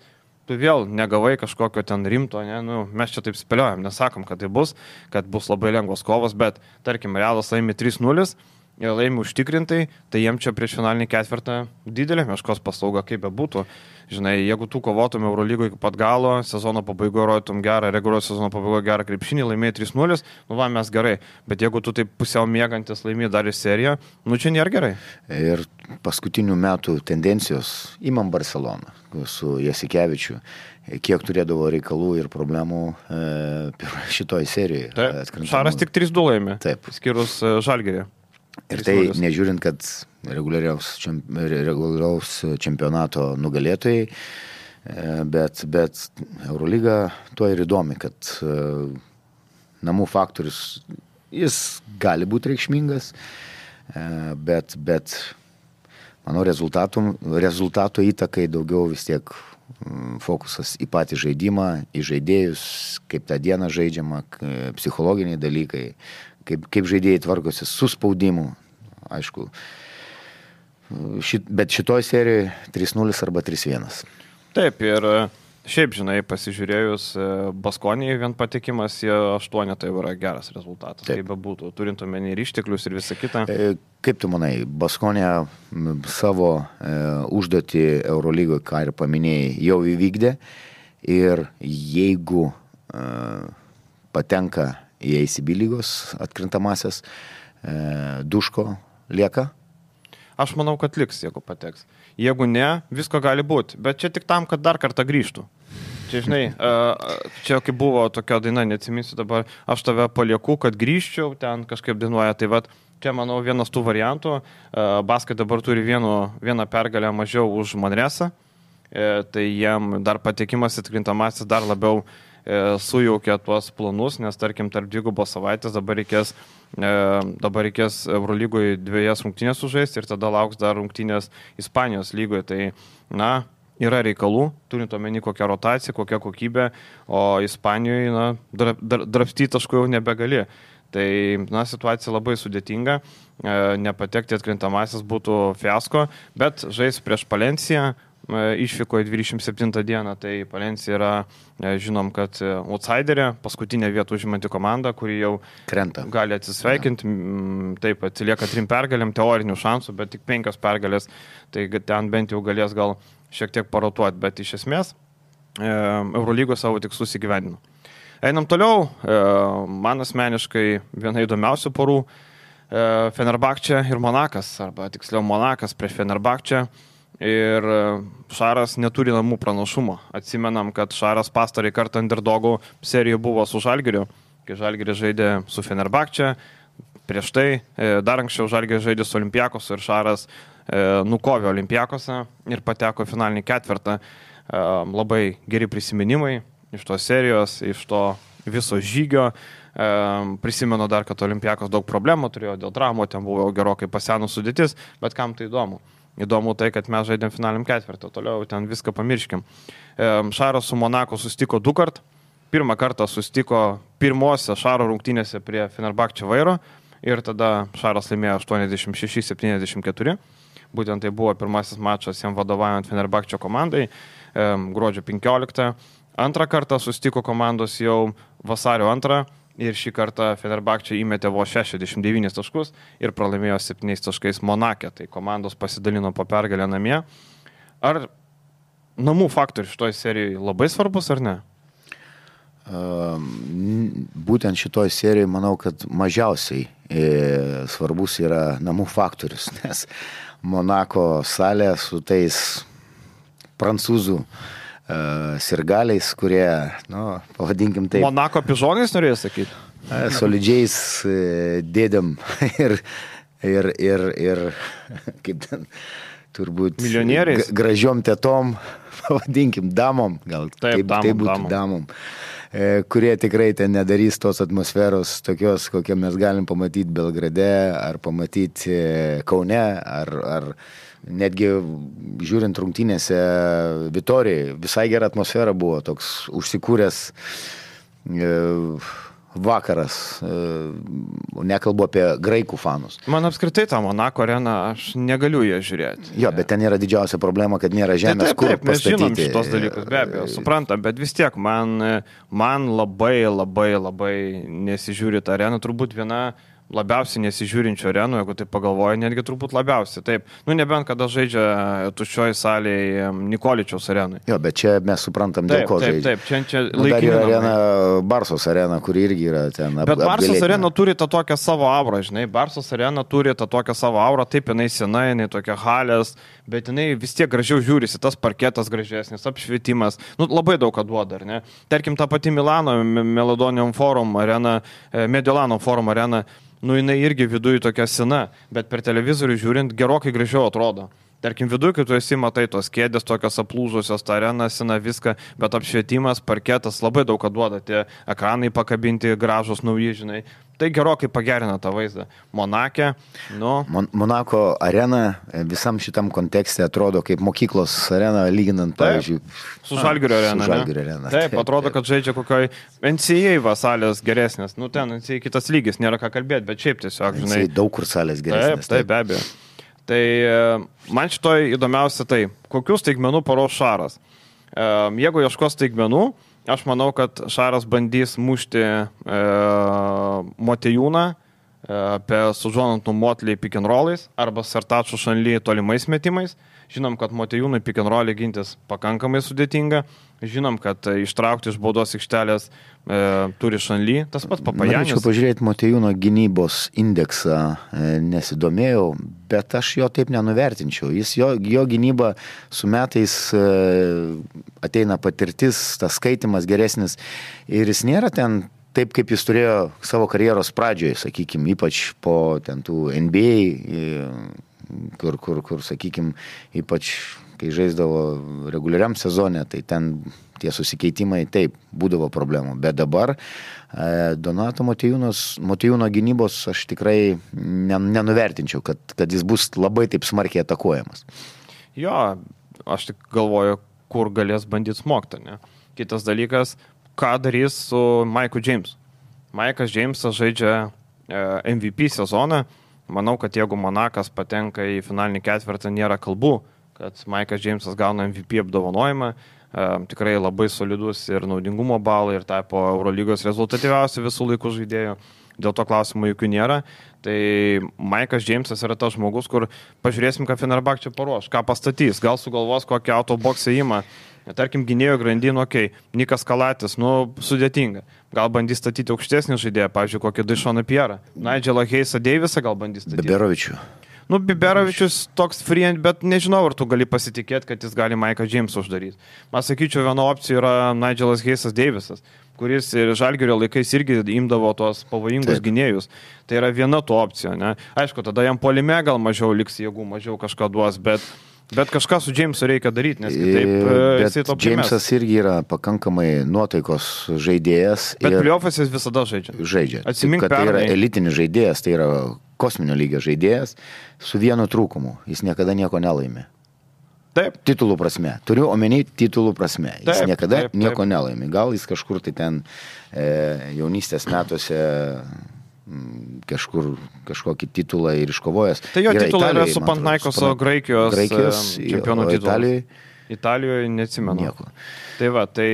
tu vėl negavai kažkokio ten rimto, ne? Nu, mes čia taip spėliojam, nesakom, kad tai bus, kad bus labai lengvos kovos, bet tarkim, Realas laimi trys nulis, ir laimi užtikrintai, tai jiem čia prieš finalinį ketvirtą didelė meškos paslauga, kaip be būtų. Žinai, jeigu tu kovotum Eurolygoje iki pat galo, sezono pabaigoje rodytum gerą, reguliaraus sezono pabaigoje gerą krepšinį, laimėjai trys nulis, nu va, mes gerai. Bet jeigu tu taip pusiau mėgantis laimėjai dar į seriją, nu čia nėra gerai. Ir paskutinių metų tendencijos, imam Barceloną su Jasikevičiu, kiek turėdavo reikalų ir problemų e, šitoj serijoje. Taip, Šaras tik trys du laimė, taip. Skyrus e, Žalgirį. Ir tai nežiūrint, kad reguliaraus, čemp, reguliaraus čempionato nugalėtojai, bet, bet Eurolyga tuo ir įdomi, kad namų faktorius, jis gali būti reikšmingas, bet, bet manau, rezultatų, rezultatų įtakai daugiau vis tiek fokusas į patį žaidimą, į žaidėjus, kaip tą dieną žaidžiama, psichologiniai dalykai, kaip, kaip žaidėjai tvarkosi su spaudimu, aišku. Šit, bet šitoj serijoje trys nulis arba trys vienas. Taip, ir šiaip, žinai, pasižiūrėjus Baskonijai vien patekimas į aštuonetą tai yra geras rezultatas. Taip. Kaip be būtų, turint omeny ir išteklius ir visą kitą. Kaip tu manai, Baskonija savo e, užduotį Eurolygoje, ką ir paminėjai, jau įvykdė ir jeigu e, patenka į A C B lygos atkrintamasis, e, Duško lieka? Aš manau, kad liks, jeigu pateks. Jeigu ne, visko gali būti, bet čia tik tam, kad dar kartą grįžtų. Čia, žinai, čia kaip buvo tokia daina, neatsiminsiu dabar, aš tave palieku, kad grįžčiau, ten kažkaip dainuoja, tai vat, čia, manau, vienas tų variantų. Baskai dabar turi vienu, vieną pergalę mažiau už Manresą, tai jiem dar patekimas atkrintamasis dar labiau sujaukia tuos planus, nes tarkim tarp dvigubos savaitės dabar reikės, dabar reikės Eurolygoje dviejas rungtynės sužaisti ir tada lauks dar rungtynės Ispanijos lygoje. Tai, na, yra reikalų, turint omeny kokią rotaciją, kokią kokybę, o Ispanijoje, na, drapstyti taškų jau nebegali. Tai, na, situacija labai sudėtinga, nepatekti atkrintamasis būtų fiasko, bet žais prieš Palenciją, išvykoje dvidešimt septintą dieną, tai Palencija yra, žinom, kad outsiderė, paskutinė vieta užimanti komanda, kuri jau krenta. Gali atsisveikinti, ja. Taip, atsilieka trim pergalėm, teorinių šansų, bet tik penkios pergalės, tai ten bent jau galės gal šiek tiek parotuoti, bet iš esmės Eurolygos savo tikslus įgyvendino. Einam toliau, man asmeniškai viena įdomiausių porų, Fenerbahčė ir Monakas, arba tiksliau Monakas prieš Fenerbahčę. Ir Šaras neturi namų pranašumo. Atsimenam, kad Šaras pastarąjį kartą underdogų serijoje buvo su Žalgiriu, kai Žalgiris žaidė su Fenerbahčė. Prieš tai dar anksčiau Žalgiris žaidė su Olimpiakosu ir Šaras nukovė Olimpiakosą ir pateko finalinį ketvirtą. Labai geri prisiminimai iš tos serijos, iš to viso žygio. Prisimenu dar, kad Olimpiakos daug problemų turėjo dėl traumų, ten buvo gerokai pasenus sudėtis, bet kam tai įdomu? Įdomu tai, kad mes žaidėm finaliniam ketvirtą, toliau ten viską pamirškim. Šaras su Monaku susitiko du kart. Pirmą kartą susitiko pirmose Šaro rungtynėse prie Fenerbahčė vairo ir tada Šaras laimėjo aštuoniasdešimt šeši septyniasdešimt keturi. Būtent tai buvo pirmasis mačas jam vadovaujant Fenerbahčė komandai gruodžio penkioliktą. Antrą kartą susitiko komandos jau vasario antrą. Ir šį kartą Fenerbahčė įmetė vos šešiasdešimt devynis taškus ir pralaimėjo septyniais taškais Monake. Tai komandos pasidalino po pergalę namie. Ar namų faktorius šitoj serijoje labai svarbus ar ne? Būtent šitoj serijoje manau, kad mažiausiai svarbus yra namų faktorius, nes Monako salę su tais prancūzų uh, sirgaliais, kurie, nu, pavadinkim taip. Monako pižonais norėjai sakyti? Solidžiais uh, dėdėm ir, ir, ir, ir kaip ten, turbūt milijonieriais, gražiom tetom, pavadinkim, damom, gal taip, taip, damom, taip būtų damom. damom, kurie tikrai ten nedarys tos atmosferos tokios, kokią mes galim pamatyti Belgrade, ar pamatyti Kaune, ar, ar netgi žiūrint rungtynėse Vitorijai, visai gera atmosfera buvo, toks užsikūręs vakaras, nekalbu apie graikų fanus. Man apskritai tą Monako areną, aš negaliu ją žiūrėti. Jo, bet ten yra didžiausia problema, kad nėra žemės, taip, taip, kur taip, mes pastatyti. Žinom šitos dalykus, be abejo, suprantam, bet vis tiek man, man labai, labai, labai nesižiūri tą areną, turbūt viena labiausiai nesižiūrinčio arenų, jeigu tai pagalvoja, netgi turbūt labiausiai. Taip, nu nebent kada žaidžia tuščioj salėje Nikoličiaus arenui. Jo, bet čia mes suprantam, dėl taip, ko taip, žaidžia. Taip, čia, čia nu, dar yra namai. arena, Barsos arena, kuri irgi yra ten ap, bet Barsos apgalėtina. arena turi tą tokią savo aurą, žinai. Barsos arena turi tą tokią savo aurą, taip, jinai sena, jinai tokia halės, bet jinai vis tiek gražiau žiūrisi, tas parketas gražesnis, apšvietimas, nu labai daug ką duoda, ar ne? Tarkim, ta pati Milano Melodonium Forum arena, Mediolanum Forum arena, nu jinai irgi viduje tokia sena, bet per televizorių žiūrint gerokai gražiau atrodo. Tarkim, viduje, kai tu esi, matai tos kėdės, tokios aplūžusios, ta arena, sena, viską, bet apšvietimas, parketas labai daug ką duoda, tie ekranai pakabinti, gražus, nauji, žinai. Tai gerokai pagerina tą vaizdą. Monake, nu... Mon Monako arena visam šitam kontekste atrodo kaip mokyklos arena, lyginant, pavyzdžiui, su Žalgirio arena. Su Žalgirio arena. Taip, taip, atrodo, kad žaidžia kokioj N C A A salės geresnės. Nu, ten N C A A kitas lygis, nėra ką kalbėti, bet šiaip tiesiog, žinai. N C A A daug kur salės geresnės. Taip, taip, be abejo. Tai man šitoj įdomiausia tai, kokius staigmenų paros Šaras. Jeigu ieškos staigmenų, aš manau, kad Šaras bandys mušti e, Motejūną e, apie sužonantų Motley pick and rollais arba Sartačų Šanly tolimais metimais. Žinom, kad Motejūnui pick and rollai gintis pakankamai sudėtinga. Žinom, kad ištraukti iš baudos aikštelės e, turi Šanly, tas pats Papajanis. Norėčiau pažiūrėti Motejūno gynybos indeksą, e, nesidomėjau, bet aš jo taip nenuvertinčiau. Jis, jo, jo gynyba su metais e, ateina patirtis, tas skaitimas geresnis ir jis nėra ten taip, kaip jis turėjo savo karjeros pradžioje, sakykime, ypač po ten tų N B A, e, kur, kur, kur sakykime, ypač kai žaisdavo reguliariam sezone, tai ten tie susikeitimai taip būdavo problemų. Bet dabar e, Donato Motejūno gynybos aš tikrai nenuvertinčiau, kad, kad jis bus labai taip smarkiai atakuojamas. Jo, aš tik galvoju, kur galės bandyti smogti, ne? Kitas dalykas, ką darys su Maiku Jamesu. Maikas Jamesas žaidžia e, M V P sezoną. Manau, kad jeigu Monakas patenka į finalinį ketvirtą, nėra kalbų, kad Maikas Jamesas gauna M V P apdovanojimą, e, tikrai labai solidus ir naudingumo balai ir tapo Eurolygos rezultatyviausių visų laikų žaidėjų, dėl to klausimų jokių nėra. Tai Maikas Jamesas yra tas žmogus, kur pažiūrėsim, ką Fenerbahčė paruoš, ką pastatys, gal sugalvos kokį autoboksą įmą, tarkim, gynėjo grandinų, okei, okay. Nikas Kalatis, nu, sudėtinga, gal bandys statyti aukštesnį žaidėją, pavyzdžiui, kokį Daišoną Pierą, Nigelą Heisą Davisą gal bandys statyti. Biberovičių. Nu, Biberovičius toks free, bet nežinau, ar tu gali pasitikėti, kad jis gali Maiką Jamesą uždaryti. Man sakyčiau, viena opcija yra Nigelas Heisas Davisas, kuris ir Žalgirio laikais irgi imdavo tos pavojingus Taip. gynėjus. Tai yra viena to opcija, ne? Aišku, tada jam puolime gal mažiau liks jėgų, mažiau kažką duos, bet, bet kažką su Jamesu reikia daryti, nes kitaip jisai to primės. Jamesas irgi yra pakankamai nuotaikos žaidėjas. Bet playoffas jis visada žaidžia. Žaidžia. Atsimink, kad tai yra elitinis žaidėjas, tai yra kosminio lygio žaidėjas su vienu trūkumu. Jis niekada nieko nelaimė. Taip. Titulų prasme. Turiu omeny titulų prasme. Jis taip, niekada taip, taip. nieko nelaimė. Gal jis kažkur tai ten e, jaunystės metuose m, kažkur kažkokį titulą ir iškovojęs. Tai jo yra titulai yra Italijai, su Panathinaikoso Graikijos, Graikijos čempionų titulas. Italijoje? Italijoje neatsimenu. Nieko. Tai va, tai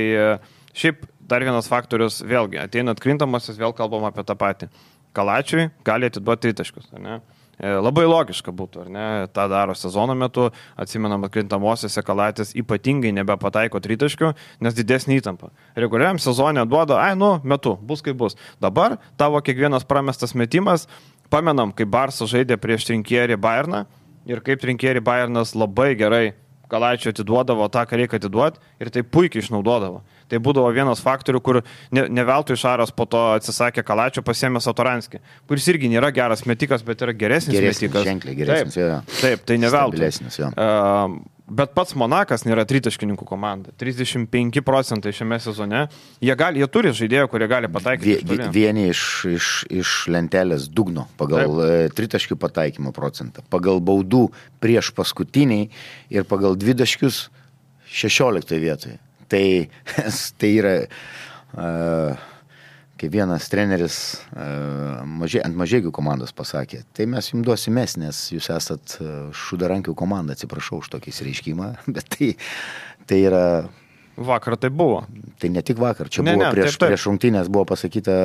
šiaip dar vienas faktorius, vėlgi, ateina atkrintamasis, vėl kalbam apie tą patį. Kalačiui gali atiduoti tritaškius, ar ne? Labai logiška būtų, ar ne? Ta daro sezono metu, atsimenam, atkrintamosiose Kalatis ypatingai nebepataiko tritaškių, nes didesnį įtampą. Reguliariam sezone duoda, ai, nu, metu, bus kaip bus. Dabar tavo kiekvienas pramestas metimas, pamenam, kai Barsas žaidė prieš Trinkierį Bayerną, ir kaip Trinkieri Bayernas labai gerai Kalaičio atiduodavo tą, ką reikia atiduoti ir tai puikiai išnaudodavo. Tai būdavo vienas faktorių, kur ne, ne veltui Šaras po to atsisakė Kalaičio, pasiėmė Satoranskį, kuris irgi nėra geras metikas, bet yra geresnis, geresnis metikas. Ženkliai geresnis, taip, taip, tai ne veltui. Uh, bet pats Monakas nėra tritaškininkų komanda. trisdešimt penki procentai šiame sezone. Jie, gali, jie turi žaidėjų, kurie gali pataikyti. Vie, vieni iš, iš, iš lentelės dugno pagal taip. tritaškių pataikymo procentą, pagal baudų prieš paskutiniai ir pagal dvidaškius šešioliktoje vietoje. Tai, tai yra, uh, kaip vienas treneris uh, mažė, ant Mažeikių komandos pasakė, tai mes jums duosimės, nes jūs esat šudarankių komanda, atsiprašau už tokį reiškimą, bet tai, tai yra... Vakar tai buvo. Tai ne tik vakar, čia ne, buvo ne, prieš, taip, taip. prieš rungtynės buvo pasakyta...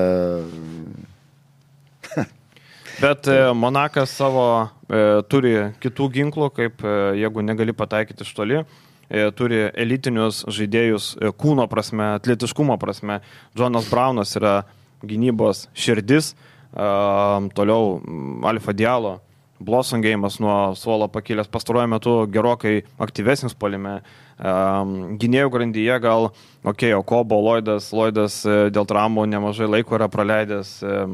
Bet e, Monakas savo e, turi kitų ginklų, kaip e, jeigu negali pataikyti iš toli. Turi elitinius žaidėjus kūno prasme, atletiškumo prasme. Jonas Braunas yra gynybos širdis, toliau Alfa Diallo, Blossom Game'as nuo suolo pakilęs pastaruoju metu gerokai aktyvesnis puolime. Gynėjų grandyje gal, okei, okay, Okobo, Lloydas, Lloydas dėl traumų nemažai laiko yra praleidęs,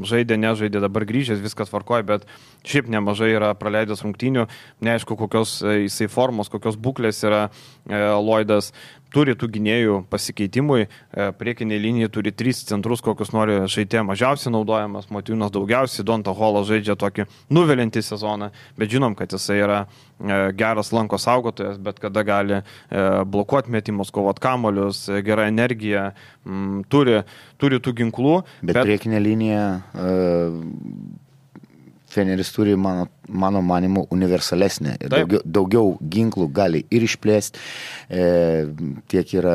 žaidė, nežaidė, dabar grįžęs, viskas tvarkoja, bet šiaip nemažai yra praleidęs rungtynių, neaišku, kokios jisai formos, kokios būklės yra Lloydas. Turi tų gynėjų pasikeitimui, priekinė linija turi tris centrus, kokius nori žaidė mažiausiai naudojamas, Motiejūnas daugiausiai, Donta Holas žaidžia tokį nuvelintį sezoną, bet žinom, kad jisai yra geras lanko saugotojas, bet kada gali blokuoti metimus, kovot kamolius, gera energija, turi, turi tų ginklų. Bet, bet... priekinė linija... Uh... Feneris turi, mano, mano manimu, universalesnė. Daugiau, daugiau ginklų gali ir išplėsti, e, tiek yra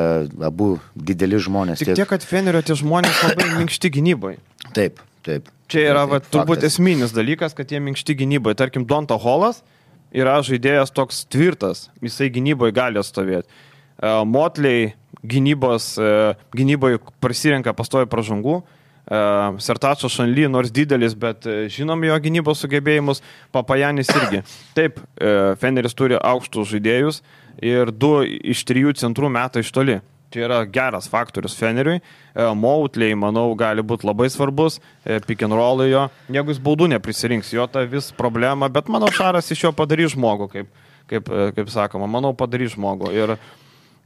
abu dideli žmonės. Tik tiek, tiek kad Fenerio tie žmonės labai minkšti gynybai. Taip, taip. Čia yra taip, va, turbūt faktas. Esminis dalykas, kad jie minkšti gynybai. Tarkim, Donta Holas yra žaidėjas toks tvirtas, jisai gynybai gali atstovėti. E, Motley gynybos, e, gynybai prasirenka pastovi pražangų. Uh, Sertačo Šanly, nors didelis, bet uh, žinom jo gynybos sugebėjimus, Papajanis irgi. Taip, uh, Feneris turi aukštus žaidėjus ir du iš trijų centrų meta iš toli. Čia yra geras faktorius Feneriui. Uh, Motley, manau, gali būti labai svarbus, uh, pick and roll jo, jeigu jis baudų neprisirinks, jo ta vis problema, bet manau, Šaras iš jo padarys žmogų, kaip, kaip, kaip sakoma, manau, padarys žmogų. Ir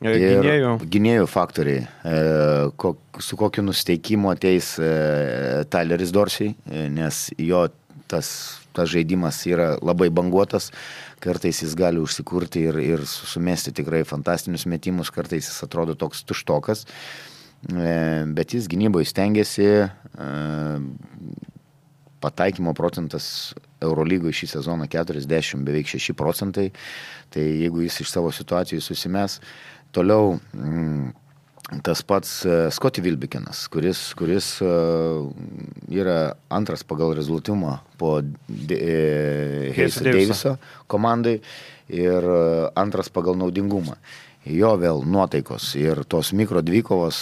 Gynėjų. Gynėjų faktoriai, su kokiu nusteikimu ateis Tyleris Dorsey, nes jo tas, tas žaidimas yra labai banguotas, kartais jis gali užsikurti ir, ir sumesti tikrai fantastinius metimus, kartais jis atrodo toks tuštokas, bet jis gynyboje stengiasi, pataikymo procentas Eurolygoje šį sezoną keturiasdešimt, beveik šeši procentai, tai jeigu jis iš savo situacijų susimes. Toliau tas pats Scottie Wilbekinas, kuris, kuris yra antras pagal rezultatumą po Hayso Daviso komandai ir antras pagal naudingumą. Jo vėl nuotaikos ir tos mikro dvikovos,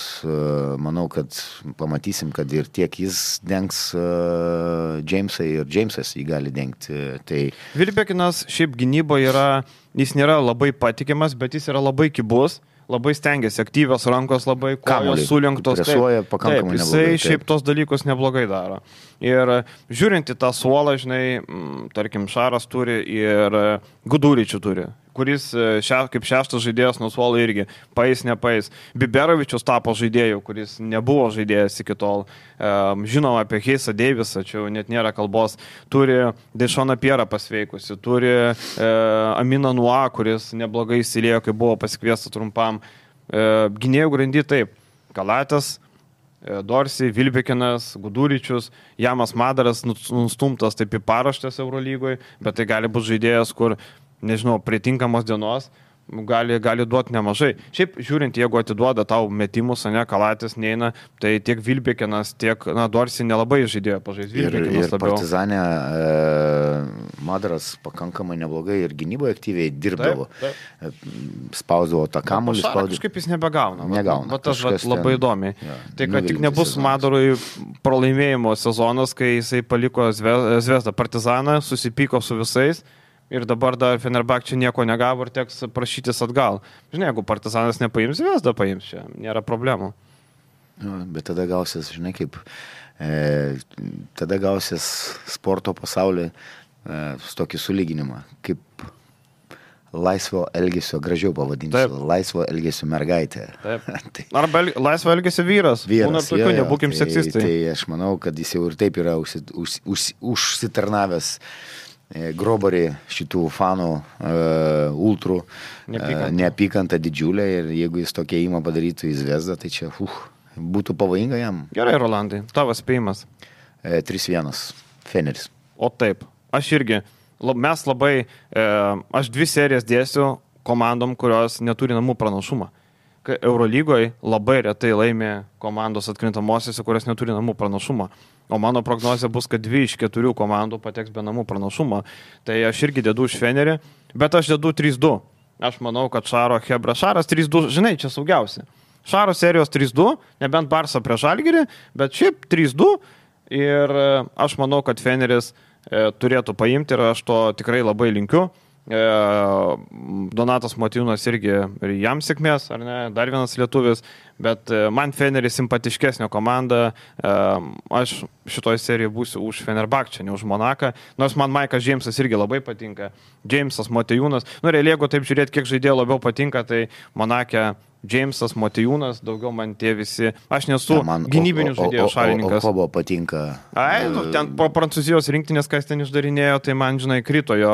manau, kad pamatysim, kad ir tiek jis dengs Jamesą ir Jamesas jį gali dengti. Tai... Wilbekinas šiaip gynyboje yra, jis nėra labai patikimas, bet jis yra labai kibus, labai stengiasi, aktyvios rankos, labai kojos sulenktos. Presuoja pakankamai taip, neblogai. Jisai šiaip tos dalykus neblogai daro. Ir žiūrint į tą suolą, žinai, tarkim, Šaras turi ir Guduričių turi, kuris še, kaip šeštas žaidėjas nuo suolo irgi paeis, nepaeis. Biberovičius tapo žaidėjų, kuris nebuvo žaidėjas iki tol. Žinom apie Haysą Davisą, čia net nėra kalbos. Turi Dešoną Pierą pasveikusi, turi e, Aminą Nua, kuris neblogai įsilėjo, kai buvo pasikviestas trumpam. E, gynėjų grandy taip, Kalatas, e, Dorsey, Wilbekinas, Guduričius, Jamas Madaras nustumtas taip į paraštės Eurolygoje, bet tai gali būti žaidėjas, kur nežinau, prie tinkamos dienos gali, gali duoti nemažai. Šiaip žiūrint, jeigu atiduoda tau metimus, ne, Kalatis neina, tai tiek Wilbekinas, tiek, na, Dorsey nelabai žaidėjo pažais. Wilbekinas ir, ir labiau. Partizanė e, Madaras pakankamai neblogai ir gynyboje aktyviai dirbdavo. Taip, taip. Spausdavo tą kamuolį. Spausdavo. Kažkaip jis nebegauna. Negauna. Bet tas labai ten, įdomiai. Ja, tai, kad tik nebus sezonas. Madarui pralaimėjimo sezonas, kai jisai paliko Zvezdą Partizaną, susipyko su visais, ir dabar dar Fenerbahčė nieko negavo ir teks prašytis atgal. Žinai, jeigu Partizanas nepaims, Zvezda paims, čia nėra problemų. Nu, bet tada gausis, žinai, kaip, e, tada gausis sporto pasaulyje e, su tokį sulyginimą, kaip laisvo elgesio, gražiau pavadinsiu, Taip. laisvo elgesio mergaitė. Taip. tai, Arba el, laisvo elgesio vyras. Vyras, Būna tokių, nebūkim tai, seksistai. Tai aš manau, kad jis jau ir taip yra užsi, už, už, užsitarnavęs e, grobarį šitų fanų, e, ultrų, neapykantą. E, neapykantą didžiulę ir jeigu jis tokia įma padarytų į Zvezdą, tai čia uh, būtų pavojinga jam. Gerai, Rolandai, tavo spėjimas. E, trys vienas, Feneris. O taip, aš irgi. Mes labai, e, aš dvi serijas dėsiu komandom, kurios neturi namų pranašumą. Eurolygoje labai retai laimė komandos atkrintamosiose, kurios neturi namų pranašumą. O mano prognozija bus, kad dvi iš keturių komandų pateks be namų pranašumo. Tai aš irgi dedu už Fenerį, bet aš dedu trys du. Aš manau, kad Šaro Hebra Šaras trys du, žinai, čia saugiausia. Šaro serijos trys du, nebent Barsa prieš Žalgirį, bet šiaip trys du. Ir aš manau, kad Feneris turėtų paimti ir aš to tikrai labai linkiu. Donatas Motiejūnas irgi ir jam sėkmės, ar ne, dar vienas lietuvis, bet man Feneris simpatiškesnė komanda, aš šitoj serijoje būsiu už Fenerbahčę, ne už Monaką, nors man Maikas Džeimsas irgi labai patinka, Džeimsas, Motiejūnas, nu realiai, jeigu taip žiūrėti, kiek žaidėjų labiau patinka, tai Monake Džeimsas, Motiejūnas, daugiau man tie visi, aš nesu ja, gynybinių žaidėjų šalininkas. O, o, o, o Kobo patinka? Ai, nu, ten po Prancūzijos rinktinės, kas ten išdarinėjo, tai man, žinai, krito jo,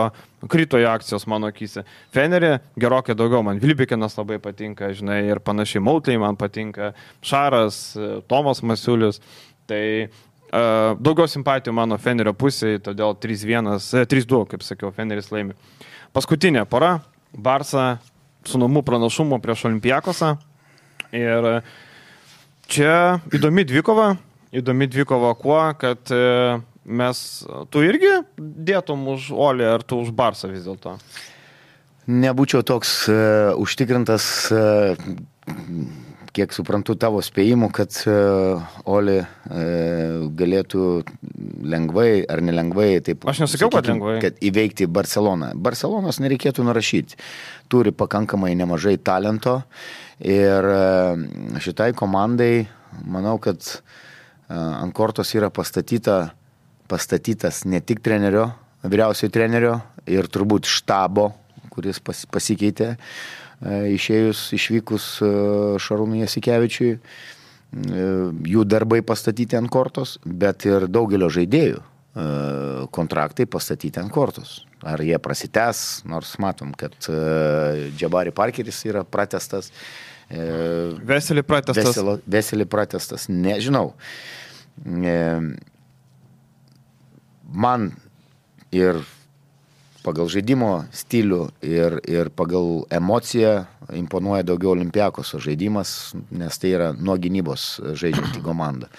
krito jo akcijos mano akyse. Fenerį gerokai daugiau, man Vilbikinas labai patinka, žinai, ir panašiai Mautai man patinka, Šaras, Tomas Masiulis, tai uh, daugiau simpatijų mano Fenerio pusėje, todėl trys vienas, trys du, kaip sakiau, Feneris laimi. Paskutinė pora, Barsa su namų pranašumu prieš Olympiakosą. Ir čia įdomi dvikova, įdomi dvikova kuo, kad mes, tu irgi dėtum už Olį ar tu už Barsą vis dėlto? Nebūčiau toks uh, užtikrintas, uh, kiek suprantu tavo spėjimų, kad uh, Olį uh, galėtų lengvai ar nelengvai, taip, aš nesakiau, kad lengvai, kad įveikti Barceloną. Barcelonos nereikėtų nurašyti. Turi pakankamai nemažai talento ir uh, šitai komandai, manau, kad uh, ant kortos yra pastatyta, pastatytas ne tik trenerio, vyriausiojo trenerio ir turbūt štabo, kuris pas, pasikeitė išėjus, išvykus Šarūnui Jasikevičiui, jų darbai pastatyti ant kortos, bet ir daugelio žaidėjų kontraktai pastatyti ant kortos. Ar jie prasitęs, nors matom, kad Džabari Parkeris yra pratestas. Veselį pratestas. Veselį, veselį pratestas, nežinau. Man ir pagal žaidimo stilių ir, ir pagal emociją imponuoja daugiau Olympiakoso žaidimas, nes tai yra nuo gynybos žaidžianti komanda.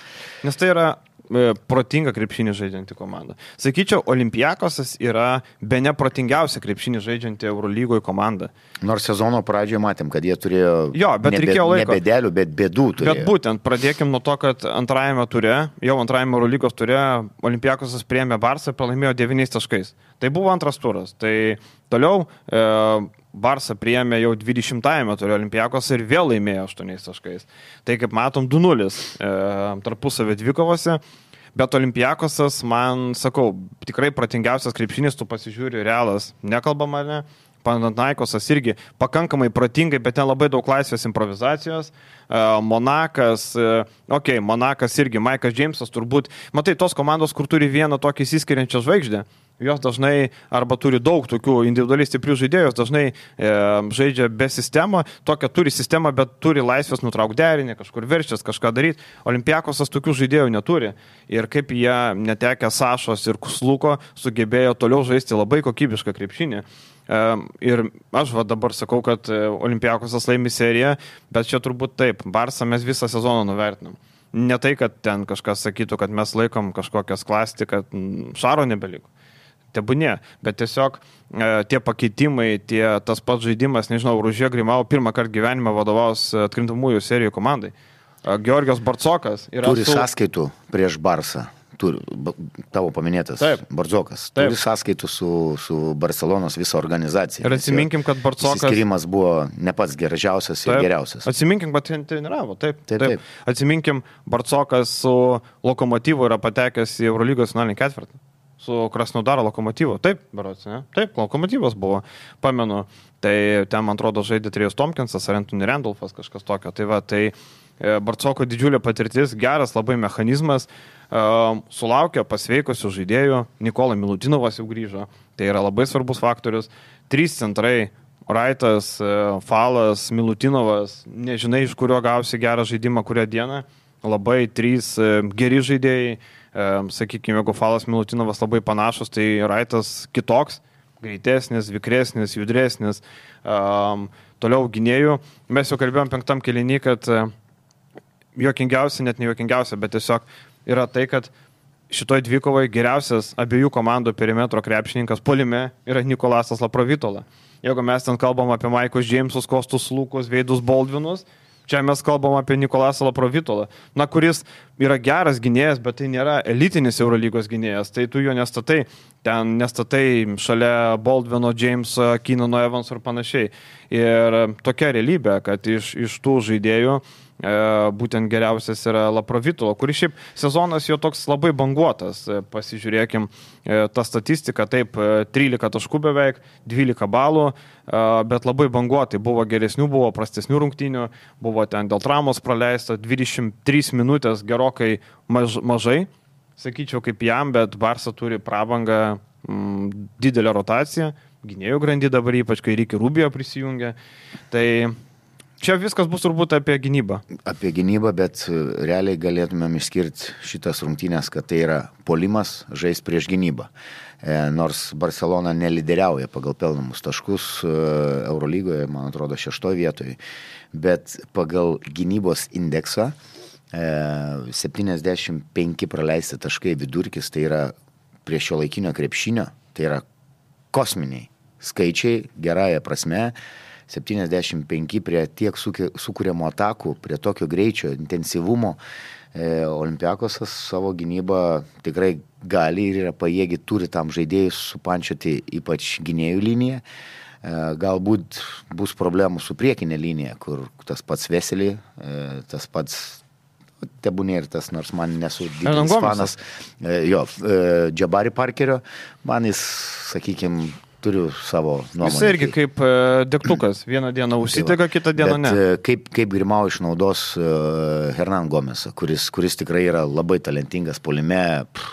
Nes tai yra e, protinga krepšinį žaidžianti komanda. Sakyčiau, Olympiakosas yra be neprotingiausia krepšinį žaidžianti Eurolygoje komanda. Nors sezono pradžioje matėm, kad jie turėjo jo, bet ne, reikėjo laiko. Ne bedelių, bet bėdų turėjo. Bet būtent, pradėkim nuo to, kad antrajame ture, jau antrajame Eurolygos ture, Olympiakosas priėmė Barsą ir pralaimėjo devyniais taškais. Tai buvo antras turas. Tai toliau e, Barsa priėmė jau dvidešimtajame ture Olympiakos ir vėl laimėjo aštuoniais taškais. Tai kaip matom, du nulis e, tarpusavio dvikovose. Bet Olympiakosas, man, sakau, tikrai protingiausias krepšinis, tu pasižiūri, Realas, nekalbama, ne? Panathinaikosas irgi pakankamai protingai, bet ten labai daug laisvės improvizacijos. Monakas, okei, okay, Monakas irgi, Maikas Džeimsas turbūt, matai, tos komandos, kur turi vieną tokį įsiskiriančią žvaigždę, jos dažnai arba turi daug tokių individualiai stiprių žaidėjų, dažnai e, žaidžia be sistemą, tokią turi sistemą, bet turi laisvės nutraukti derinį, kažkur verštis, kažką daryti. Olympiakosas tokių žaidėjų neturi. Ir kaip jie netekę Sašos ir Kusluko sugebėjo toliau žaisti labai kokybišką krepšinį. Ir aš va dabar sakau, kad Olympiakosas laimi seriją, bet čia turbūt taip, Barsą mes visą sezoną nuvertinam. Ne tai, kad ten kažkas sakytų, kad mes laikom kažkokias klastį, kad Šaro nebeliko. Tebūnė, bet tiesiog e, tie pakeitimai, tie, tas pats žaidimas, nežinau, Ružė Grimau pirmą kartą gyvenime vadovaus atkrintamųjų serijų komandai. E, Georgijos Barcokas yra turi su... sąskaitų prieš Barsą. turi, tavo paminėtas Taip. Bardzokas, Taip. turi sąskaitų su, su Barcelonos visą organizaciją. Ir atsiminkim, kad Bardzokas... Įsiskirimas buvo ne pats geriausias ir taip. Geriausias. Atsiminkim, kad treniravo, taip, Taip, taip. taip. Atsiminkim, Bardzokas su Lokomotyvu yra patekęs į Eurolygos finalinį ketvirtą. Su Krasnodaro Lokomotyvu. Taip, berods, ne? Taip, Lokomotyvas buvo, pamenu. Tai ten, man atrodo, žaidė Trijos Tomkinsas ar Anthony Randolphas, kažkas tokio. Tai va, tai Bardzoko didžiulė patirtis, geras labai mechanizmas, uh, sulaukė pasveikusių žaidėjų, Nikola Milutinovas jau grįžo, tai yra labai svarbus faktorius, trys centrai, Raitas, uh, Falas, Milutinovas, nežinai, iš kurio gausi gerą žaidimą, kurią dieną, labai trys uh, geri žaidėjai, uh, sakykime, jeigu Falas, Milutinovas labai panašus, tai Raitas kitoks, greitesnis, vikresnis, judresnis, um, toliau gynėjų. Mes jau kalbėjom penktam kėlinį, kad uh, juokingiausia, net ne juokingiausia, bet tiesiog yra tai, kad šitoj dvikovai geriausias abiejų komandų perimetro krepšininkas puolime yra Nikolasas Laprovitola. Jeigu mes ten kalbam apie Maikus Džeimsus, Kostus Lukus, Veidus Baldvinus, čia mes kalbam apie Nikolasą Laprovitolą, na, kuris yra geras gynėjas, bet tai nėra elitinis Eurolygos gynėjas, tai tu jo nestatai, ten nestatai šalia Baldvino, Džeimso, Keenano, Evanso ir panašiai. Ir tokia realybė, kad iš, iš tų žaidėjų e, būtent geriausias yra Laprovitolo, kuris šiaip sezonas jo toks labai banguotas. Pasižiūrėkim e, tą statistiką, taip, trylika taškų beveik, dvylika balų, e, bet labai banguotai. Buvo geresnių, buvo prastesnių rungtynių, buvo ten dėl traumos praleista dvidešimt trys minutės gerokai maž, mažai, sakyčiau, kaip jam, bet Barsa turi prabangą, m, didelę rotaciją, gynėjų grandį dabar ypač, kai Ricky Rubio prisijungia. Tai čia viskas bus turbūt apie gynybą. Apie gynybą, bet realiai galėtumėm išskirti šitas rungtynės, kad tai yra puolimas žais prieš gynybą. E, nors Barcelona nelideriauja pagal pelnamus taškus e, Eurolygoje, man atrodo, šeštoje vietoje, bet pagal gynybos indeksą e, septyniasdešimt penki praleisti taškai vidurkis, tai yra prie šio laikinio krepšinio, tai yra kosminiai skaičiai, gerąją prasme, septyniasdešimt penki prie tiek sukūrimo atakų, prie tokio greičio, intensyvumo. E, Olympiakosas savo gynybą tikrai gali ir yra pajėgi, turi tam žaidėjus supančioti ypač gynėjų liniją. E, galbūt bus problemų su priekinė linija, kur tas pats Veselį, e, tas pats tebūnė ir tas, nors man nesu didelis fanas, e, jo, e, Jabari Parkerio, man jis, sakykime, turiu savo nuomonę. Jis irgi kaip e, degtukas. Vieną dieną užsidega, kitą dieną ne. Bet kaip, kaip Grimau išnaudos uh, Hernan Gomesą, kuris, kuris tikrai yra labai talentingas puolime pff,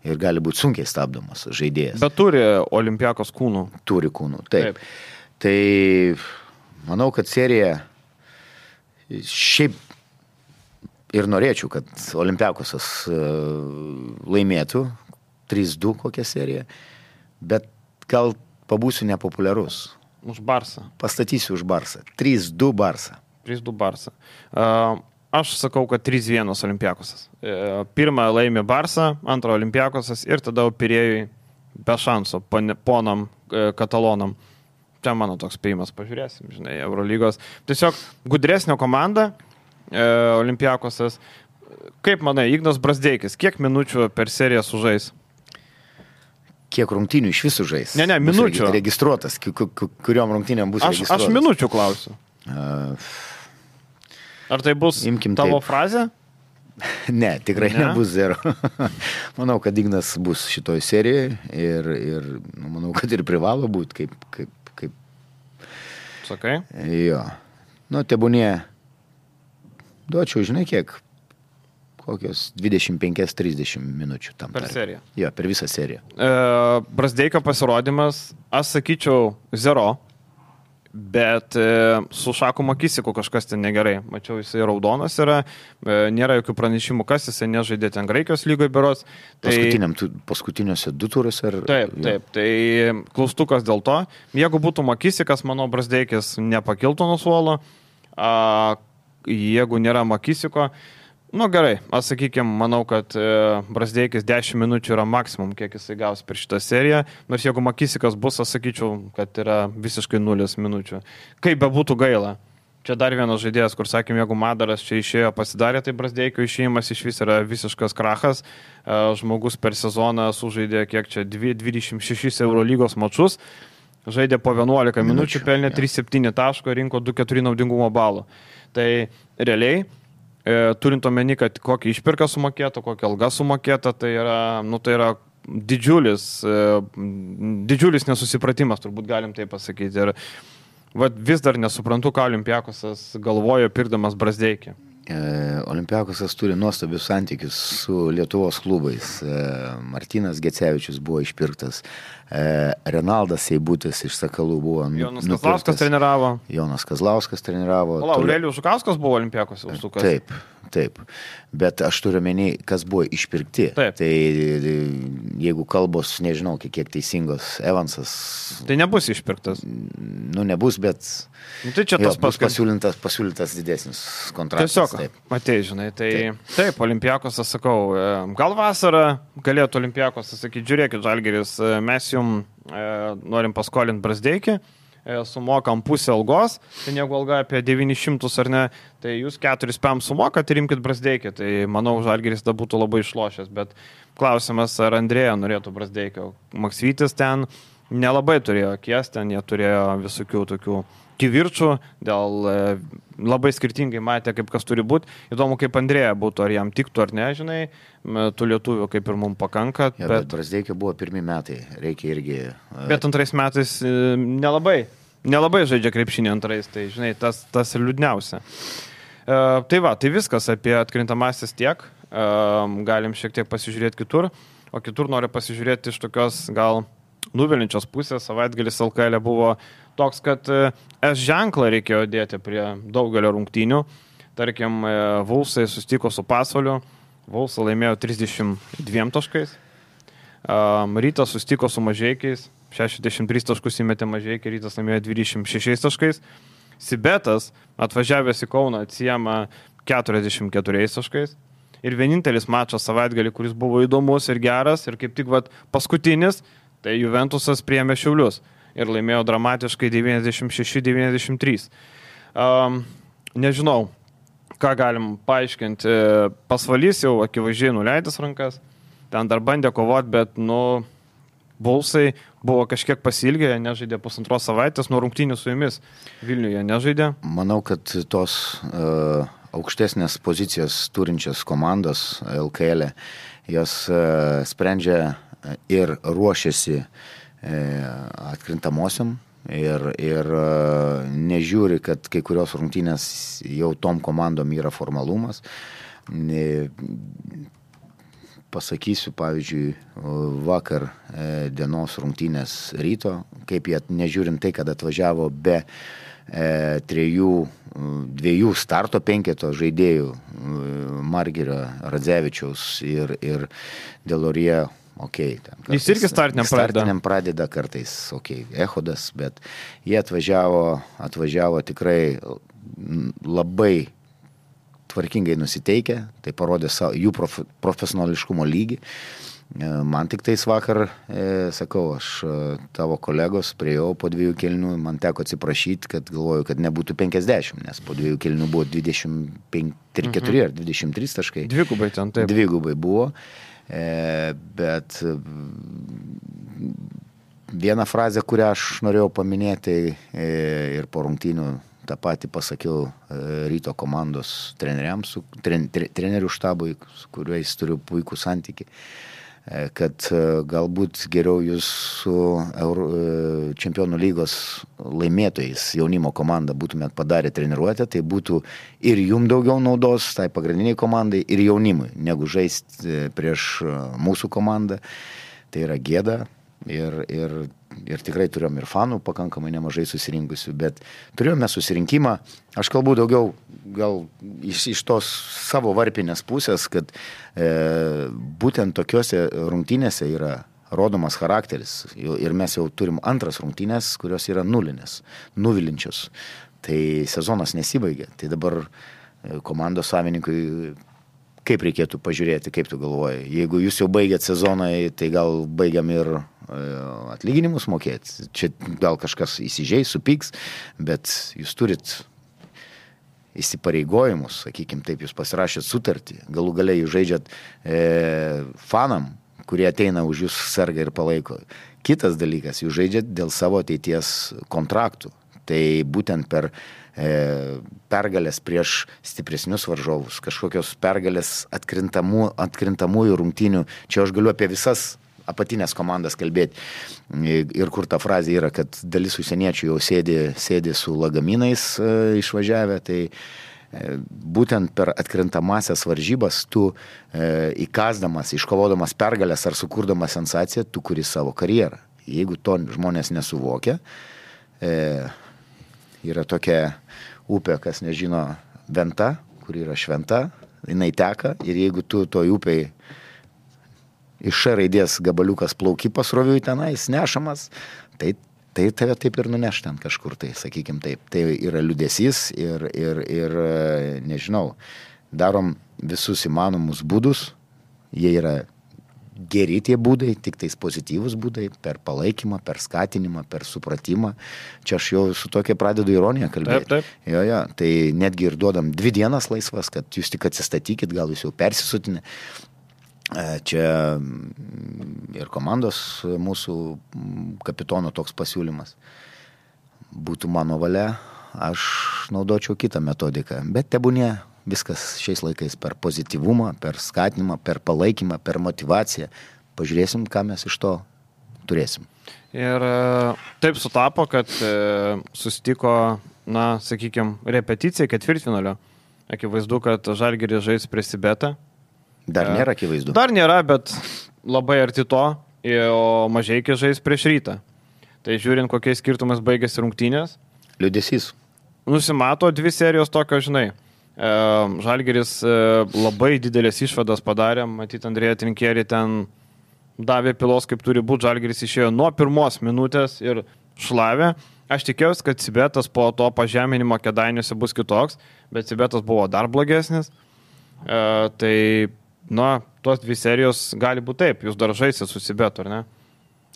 ir gali būti sunkiai stabdomas žaidėjas. Bet turi Olympiakos kūnų. Turi kūnų, taip. Taip. Tai manau, kad serija šiaip ir norėčiau, kad Olympiakosas uh, laimėtų trys du kokią seriją, bet gal pabūsiu nepopuliarus. Už Barsą. Pastatysiu už Barsą. trys du Barsą. trys du Barsą. Uh, aš sakau, kad trys vienas Olympiakosas. Uh, pirmą laimė Barsą, antrą Olympiakosas ir tada Pirėjui be šansų ponam uh, katalonam. Čia mano toks spėjimas, pažiūrėsim, žinai, Eurolygos. Tiesiog gudresnio komanda uh, Olympiakosas. Kaip manai, Ignas Brazdeikis, kiek minučių per seriją sužais? Kiek rungtynių iš visų žais? Ne, ne, minučių. Bus registruotas, kuriuom rungtynėm bus aš, registruotas. Aš minučių klausiu. Uh, Ar tai bus imkim tavo taip. frazė? Ne, tikrai ne? nebus zero. Manau, kad Ignas bus šitoj serijoje ir, ir nu, manau, kad ir privalo būti, kaip, kaip, kaip... Sakai? Jo. Nu, tebūnie, duočiau, žinai, kiek... kokios dvidešimt penki trisdešimt minučių tam. Per tarp. seriją. Jo, per visą seriją. E, Brazdeikio pasirodymas, aš sakyčiau, zero, bet e, su Šaku Makisiku kažkas ten negerai. Mačiau, jisai raudonas yra, e, nėra jokių pranešimų, kas jisai nežaidė ten Graikijos lygoje berods. Tai... Paskutiniuose du turuose. Ar... Taip, taip, tai klaustukas dėl to. Jeigu būtų Makisikas, manau, Brazdeikis nepakiltų nuo suolo. A, jeigu nėra Makisiko, nu gerai, aš sakykime, manau, kad e, Brazdeikis dešimt minučių yra maksimum, kiek jisai gaus per šitą seriją, nors jeigu Makisikas bus, aš sakyčiau, kad yra visiškai nulis minučių. Kaip be būtų gaila, Čia dar vienas žaidėjas, kur sakėm, jeigu Madaras čia išėjo pasidarė, tai Brazdeikio išėjimas iš vis yra visiškas krachas. Žmogus per sezoną sužaidė kiek čia dvidešimt šešis Eurolygos mačus, žaidė po vienuolika minučių, pelnė trys septyni taško, rinko du keturi naudingumo balų. Tai realiai, e, turint omeny, kad kokį išpirką sumokėta, kokią algą sumokėta, tai yra, nu, tai yra didžiulis, e, didžiulis nesusipratimas, turbūt galim tai pasakyti. Ir vat, vis dar nesuprantu, ką Olympiakosas galvojo pirkdamas Brazdeikį. E, Olympiakosas turi nuostabius santykius su Lietuvos klubais. E, Martynas Gecevičius buvo išpirktas. E, Renaldas Seibutis iš Sakalų buvo Jonas nupirktas. Kazlauskas treniravo. Jonas Kazlauskas treniravo. O, Aurelijus Žukauskas buvo Olympiakose užsukas. Taip, taip. Bet aš turiu menį, kas buvo išpirkti. Taip. Tai jeigu kalbos, nežinau, kiek teisingos, Evansas... Tai nebus išpirktas. Nu, nebus, bet... Nu, tai čia tas jo, bus pasiūlytas, pasiūlytas didesnis kontraktas. Tiesiog, taip. matei, žinai, tai taip, taip Olympiakosas, sakau, gal vasarą galėtų Olympiakosas sakyti, žiūrėkit, Žalgiris, mes jums e, norim paskolinti Brazdeikį, e, sumokam pusę algos, tai jeigu alga apie devynis šimtus ar ne, tai jūs keturis pem sumokat ir imkit Brazdeikį, tai manau, Žalgiris da būtų labai išlošęs, bet klausimas, ar Andrėja norėtų Brazdeikio. Maksvytis ten nelabai turėjo akies, ten jie turėjo visokių tokių kivirčių, dėl e, labai skirtingai matė, kaip kas turi būti. Įdomu, kaip Andrėja būtų, ar jam tiktų ar ne, žinai, tų lietuvių kaip ir mums pakanka. Ja, bet bet Brazdeikio buvo pirmi metai, reikia irgi... Uh... Bet antrais metais e, nelabai, nelabai žaidžia krepšinį antrais, tai žinai, tas, tas ir liūdniausia. E, tai va, tai viskas apie atkrintamasis tiek, e, galim šiek tiek pasižiūrėti kitur, o kitur noriu pasižiūrėti iš tokios gal nuvilinčios pusės. Savaitgalis L K L buvo toks, kad S ženklą reikėjo dėti prie daugelio rungtynių. Tarkim, Vulsai sustiko su Pasvaliu, Vulsai laimėjo trisdešimt dviem taškais, Rytas sustiko su Mažeikiais, šešiasdešimt tris taškus įmetė Mažeikiai, Rytas laimėjo dvidešimt šešiais taškais, Sibetas atvažiavęs į Kauną atsijama keturiasdešimt keturiais taškais. Ir vienintelis mačas savaitgalį, kuris buvo įdomus ir geras, ir kaip tik vat, paskutinis, tai Juventusas priėmė Šiaulius ir laimėjo dramatiškai devyniasdešimt šeši devyniasdešimt trys. Um, nežinau, ką galim paaiškinti. Pasvalys jau akivaizdžiai nuleidęs rankas, ten dar bandė kovoti, bet, nu, Bulsai buvo kažkiek pasilgę, nežaidė pusantros savaitės, nuo rungtynių su jumis Vilniuje nežaidė. Manau, kad tos uh, aukštesnės pozicijas turinčios komandos L K L, jos uh, sprendžia ir ruošiasi atkrintamosiam ir, ir nežiūri, kad kai kurios rungtynės jau tom komandom yra formalumas. Pasakysiu, pavyzdžiui, vakar dienos rungtynės Ryto, kaip jie, nežiūrint tai, kad atvažiavo be e, trejų, dviejų starto penketo žaidėjų, Margirio, Radzevičiaus ir, ir Delorie. Okay, kartais, jis irgi startiniam pradeda. Startiniam pradeda kartais, okei, okay, Echodas, bet jie atvažiavo, atvažiavo tikrai labai tvarkingai nusiteikę, tai parodė savo, jų prof, profesionališkumo lygį. Man tik tais vakar, e, sakau, aš tavo kolegos priejau po dviejų kelnių, man teko atsiprašyti, kad galvoju, kad nebūtų penkiasdešimt, nes po dviejų kelnių buvo dvidešimt keturi mhm. ar dvidešimt trys taškai. Dvigubai ten, taip. Dvigubai buvo. E, bet vieną frazę, kurią aš norėjau paminėti e, ir po rungtynių tą patį pasakiau e, Ryto komandos treneriams, su, tren, tre, trenerių štabui, su kuriais turiu puikų santykį, e, kad e, galbūt geriau jūs su Euro, e, Čempionų lygos laimėtojais jaunimo komanda būtumėt padarę treniruotę, tai būtų ir jum daugiau naudos, tai pagrindiniai komandai, ir jaunimui, negu žaisti prieš mūsų komandą. Tai yra gėda ir, ir, ir tikrai turėjom ir fanų pakankamai nemažai susirinkusių, bet turėjome susirinkimą, aš kalbu daugiau gal iš, iš tos savo varpinės pusės, kad e, būtent tokiuose rungtynėse yra rodomas charakteris ir mes jau turim antras rungtynės, kurios yra nulinės, nuvilinčios. Tai sezonas nesibaigė. Tai dabar komandos savininkui kaip reikėtų pažiūrėti, kaip tu galvoji. Jeigu jūs jau baigėt sezoną, tai gal baigiam ir atlyginimus mokėti. Čia gal kažkas įsižeis, supyks, bet jūs turit įsipareigojimus, sakykime taip, jūs pasirašėt sutartį, galų galiai jūs žaidžiat e, fanam, kurie ateina už jūs serga ir palaiko. Kitas dalykas, jūs žaidžiat dėl savo ateities kontraktų. Tai būtent per e, pergalės prieš stipresnius varžovus, kažkokios pergalės atkrintamų, atkrintamųjų rungtynių, čia aš galiu apie visas apatinės komandas kalbėti. Ir kur ta frazė yra, kad dalis užsieniečių jau sėdi, sėdi su lagaminais e, išvažiavę, tai e, būtent per atkrintamasias varžybas tu e, įkasdamas, iškovodamas pergalės ar sukurdamas sensaciją, tu kuri savo karjerą. Jeigu to žmonės nesuvokia, e, yra tokia upė, kas nežino, Venta, kur yra šventa, jinai teka ir jeigu tu toj upėj iš Š raidės gabaliukas plauki pasroviui tenais, nešamas, tai, tai tave taip ir nuneš ten kažkur, tai sakykim taip. Tai yra liūdesys ir, ir, ir nežinau, darom visus įmanomus būdus, jie yra geri tie būdai, tik tais pozityvus būdai, per palaikymą, per skatinimą, per supratimą. Čia aš jau su tokia pradedu ironiją kalbėti. Taip, taip. Jo, jo, tai netgi ir duodam dvi dienas laisvas, kad jūs tik atsistatykit, gal jūs jau persisutinė. Čia ir komandos mūsų kapitono toks pasiūlymas. Būtų mano valia, aš naudočiau kitą metodiką, bet tebūnie viskas šiais laikais per pozityvumą, per skatinimą, per palaikymą, per motivaciją. Pažiūrėsim, ką mes iš to turėsim. Ir taip sutapo, kad susitiko, na, sakykime, repeticija ketvirtfinalio. Akivaizdu, kad Žalgiris žais prieš Sibetą. Dar nėra akivaizdu. Dar nėra, bet labai arti to, o Mažeikis žais prieš Rytą. Tai žiūrint, kokiais skirtumas baigėsi rungtynės. Liūdesys. Nusimato dvi serijos tokio, žinai. Žalgiris labai didelės išvadas padarė, matyt, Andrėja Trinkierį ten davė pilos, kaip turi būti. Žalgiris išėjo nuo pirmos minutės ir šlavė. Aš tikėjausi, kad Sibetas po to pažeminimo Kėdainiuose bus kitoks, bet Sibetas buvo dar blogesnis. Tai na, tos dvi serijos gali būti taip, jūs dar žaisit su Sibetu, ar ne?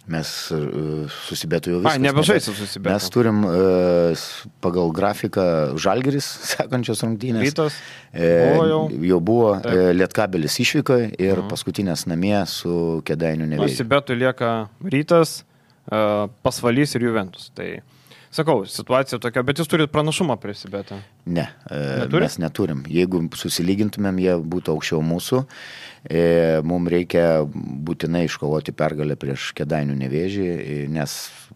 Mes uh, su Sibetu jau viskas. A, nebežaisit su Sibetu. Mes turim uh, pagal grafiką Žalgiris, sekančios rungtynės. Rytas e, buvo jau. Jau buvo e, Lietkabelis išvykoje ir mhm. paskutinės namie su Kėdainių Nevėžiu. Sibetu lieka Rytas, uh, Pasvalys ir Juventus. Tai sakau, situacija tokia, bet jūs turit pranašumą prie Sibetą? Ne, Neturi? Mes neturim. Jeigu susilygintumėm, jie būtų aukščiau mūsų. E, mums reikia būtinai iškovoti pergalę prieš Kėdainių Nevėžį, nes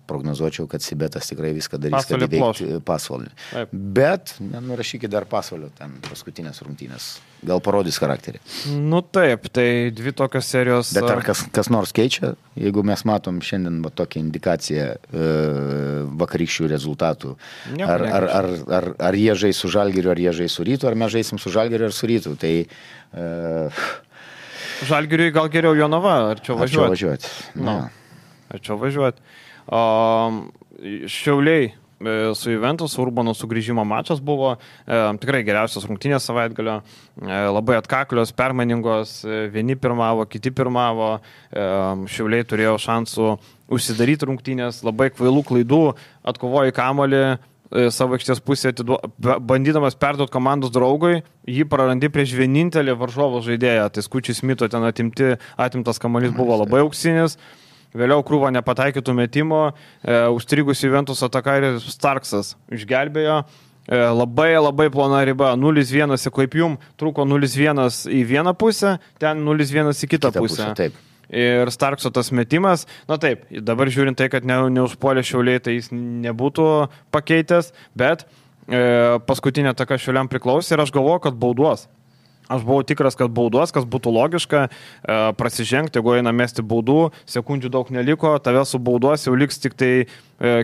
prognozuočiau, kad Sibetas tikrai viską darys, kad įveikti Pasvalį. Bet nenurašykit dar Pasvalio ten paskutinės rungtynės. Gal parodys charakterį. Nu taip, tai dvi tokios serijos. Bet ar kas, kas nors keičia, jeigu mes matom šiandien va, tokią indikaciją e, vakarykščių rezultatų? Ar, ar, ar, ar, ar jie žais su Žalgiriu, ar jie žais su Rytu, ar mes žaisim su Žalgiriu ar su Rytu? Tai e, Žalgiriui gal geriau Jonava, ar čia važiuoti? Ar čia važiuoti? No. Ar čia važiuoti? O, Šiauliai su Juventus, Urbano sugrįžimo mačas buvo e, tikrai geriausios rungtynės savaitgalio, e, labai atkaklios, permainingos, e, vieni pirmavo, kiti pirmavo, e, Šiauliai turėjo šansų užsidaryti rungtynės, labai kvailų klaidų, atkovojo kamuolį, e, savo aikštės pusę, atiduo, bandydamas perduoti komandos draugui, jį prarandi prieš vienintelį varžovo žaidėją, tai Skučiai Smito ten atimti, atimtas kamuolys buvo labai auksinis. Vėliau krūva nepataikytų metimo, e, užstrigusi Juventus atakaris Starksas išgelbėjo, e, labai labai plona riba, nulis vienas, kaip jum, trūko nulis vienas į vieną pusę, ten nulis vienas į kitą, kitą pusę. pusę taip. Ir Starkso tas metimas, na taip, dabar žiūrint tai, kad ne, neužpuolė Šiauliai, tai jis nebūtų pakeitęs, bet e, paskutinė ataka Šiauliam priklausė ir aš galvoju, kad bauduos. Aš buvau tikras, kad baudos, kas būtų logiška, e, prasižengti, jeigu eina mesti baudų, sekundžių daug neliko, tave su baudos jau liks tik tai e,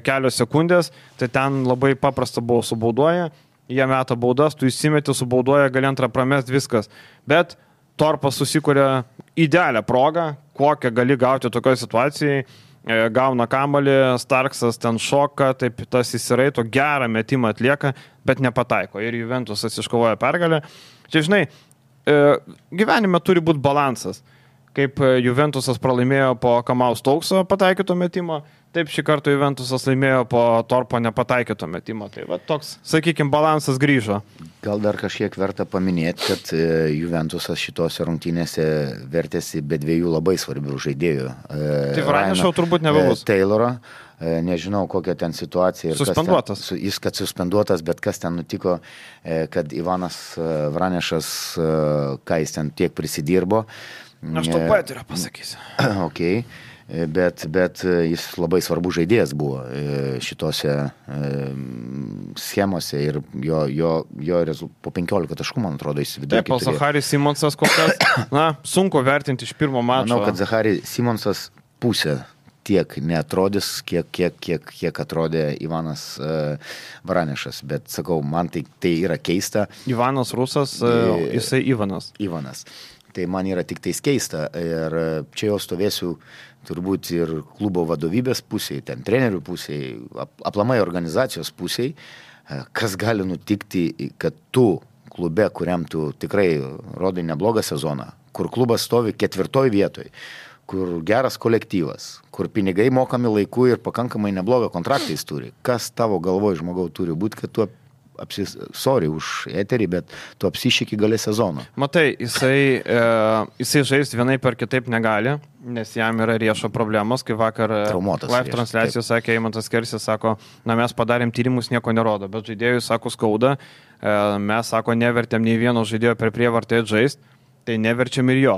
kelios sekundės, tai ten labai paprasta buvo su baudoje, jie meta baudas, tu įsimeti su baudoje, gali antrą pramest viskas. Bet Torpas susikuria idealią progą, kokią gali gauti tokioje situacijoje, e, gauna kamuolį, Starksas ten šoka, taip tas įsiraito, gerą metimą atlieka, bet nepataiko ir Juventusas iškovoja pergalę. Čia, žinai, gyvenime turi būti balansas. Kaip Juventusas pralaimėjo po Kamaus Taukso pataikyto metimo, Taip šį kartą Juventusas laimėjo po Torpo nepataikyto metimo. Tai va toks, sakykime, balansas grįžo. Gal dar kažkiek verta paminėti, kad Juventusas šitose rungtynėse vertėsi be dviejų labai svarbių žaidėjų. Tai Vranišau turbūt nebebus. Taylorą. Nežinau, kokia ten situacija. Suspenduotas. Ten, jis, kad suspenduotas, bet kas ten nutiko, kad Ivanas Vranišas, ką jis ten tiek prisidirbo. Aš to patiriu pasakysiu. Okay. Bet, bet jis labai svarbus žaidėjas buvo šitose schemose ir jo, jo, jo rezul... po penkiolika taškų, man atrodo, jis vidurkį. Taip, o Zacharis Simonsas kokias, na, sunku vertinti iš pirmo mačo. Manau, kad Zacharis Simonsas pusė tiek neatrodys, kiek, kiek, kiek, kiek atrodė Ivanas uh, Vranišas, bet sakau, man tai, tai yra keista. Ivanas Rusas, uh, jisai Ivanas. Ivanas. Tai man yra tik tais keista ir čia jau stovėsiu turbūt ir klubo vadovybės pusėje, ten trenerių pusėje, aplamai organizacijos pusėje, kas gali nutikti, kad tu klube, kuriam tu tikrai rodai neblogą sezoną, kur klubas stovi ketvirtoj vietoj, kur geras kolektyvas, kur pinigai mokami laiku ir pakankamai neblogą kontraktą jis turi. Kas tavo galvoj žmogau turi būti, kad tu apsis... Sorry už eterį, bet tu apsišiki galę sezono. Matai, jisai, e, jisai žaisti vienai per kitaip negali, nes jam yra riešo problemos, kai vakar Traumuotas live transliacijos sakė, Eimantas Kersis sako, na mes padarėm tyrimus, nieko nerodo, bet žaidėjui sako skauda, e, mes sako, nevertėm nei vieno žaidėjo per prievartą žaisti, tai neverčiam ir jo.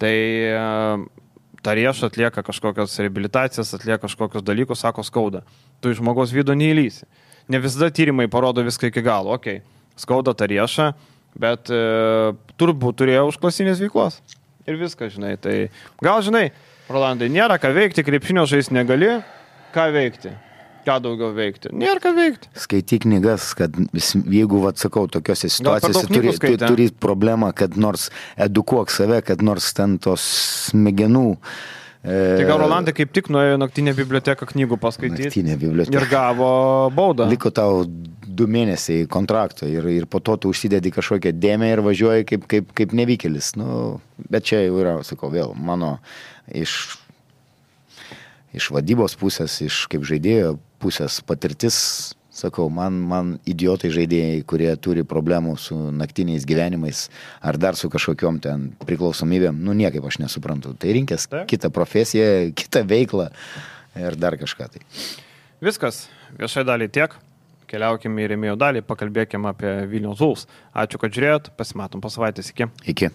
Tai e, ta riešo atlieka kažkokios reabilitacijas, atlieka kažkokios dalykus, sako skauda. Tu iš žmogaus vidų neįlysi. Ne visada tyrimai parodo viską iki galo. Okay. Skauda tą riešą, bet e, turbūt turėjo užklasinės veiklos. Ir viską, žinai. Tai gal, žinai, Rolandai, nėra ką veikti, krepšinio žaisti negali. Ką veikti? Ką daugiau veikti? Nėra ką veikti. Skaityk knygas, kad jeigu, atsakau, tokiose situacijose turi, tu, turi problemą, kad nors edukuok save, kad nors ten tos smegenų. Tai gal Rolandai kaip tik nuėjo naktinę biblioteką knygų paskaityti naktinę biblioteką. Ir gavo baudą. Liko tau du mėnesiai kontrakto ir, ir po to tu užsidedi kažkokią dėmę ir važiuoji kaip, kaip, kaip nevykėlis. Nu, bet čia jau yra, sakau, vėl mano iš, iš vadybos pusės, iš kaip žaidėjo pusės patirtis. Sakau, man, man idiotai žaidėjai, kurie turi problemų su naktiniais gyvenimais ar dar su kažkokiom ten priklausomybėm, nu niekaip aš nesuprantu. Tai rinkės Taip. kitą profesiją, kitą veiklą ir dar kažką tai. Viskas, viešai dalį tiek. Keliaukime į rėmėjų dalį, pakalbėkime apie Vilniaus Wolves. Ačiū, kad žiūrėjot, pasimatom po savaitės. Iki. Iki.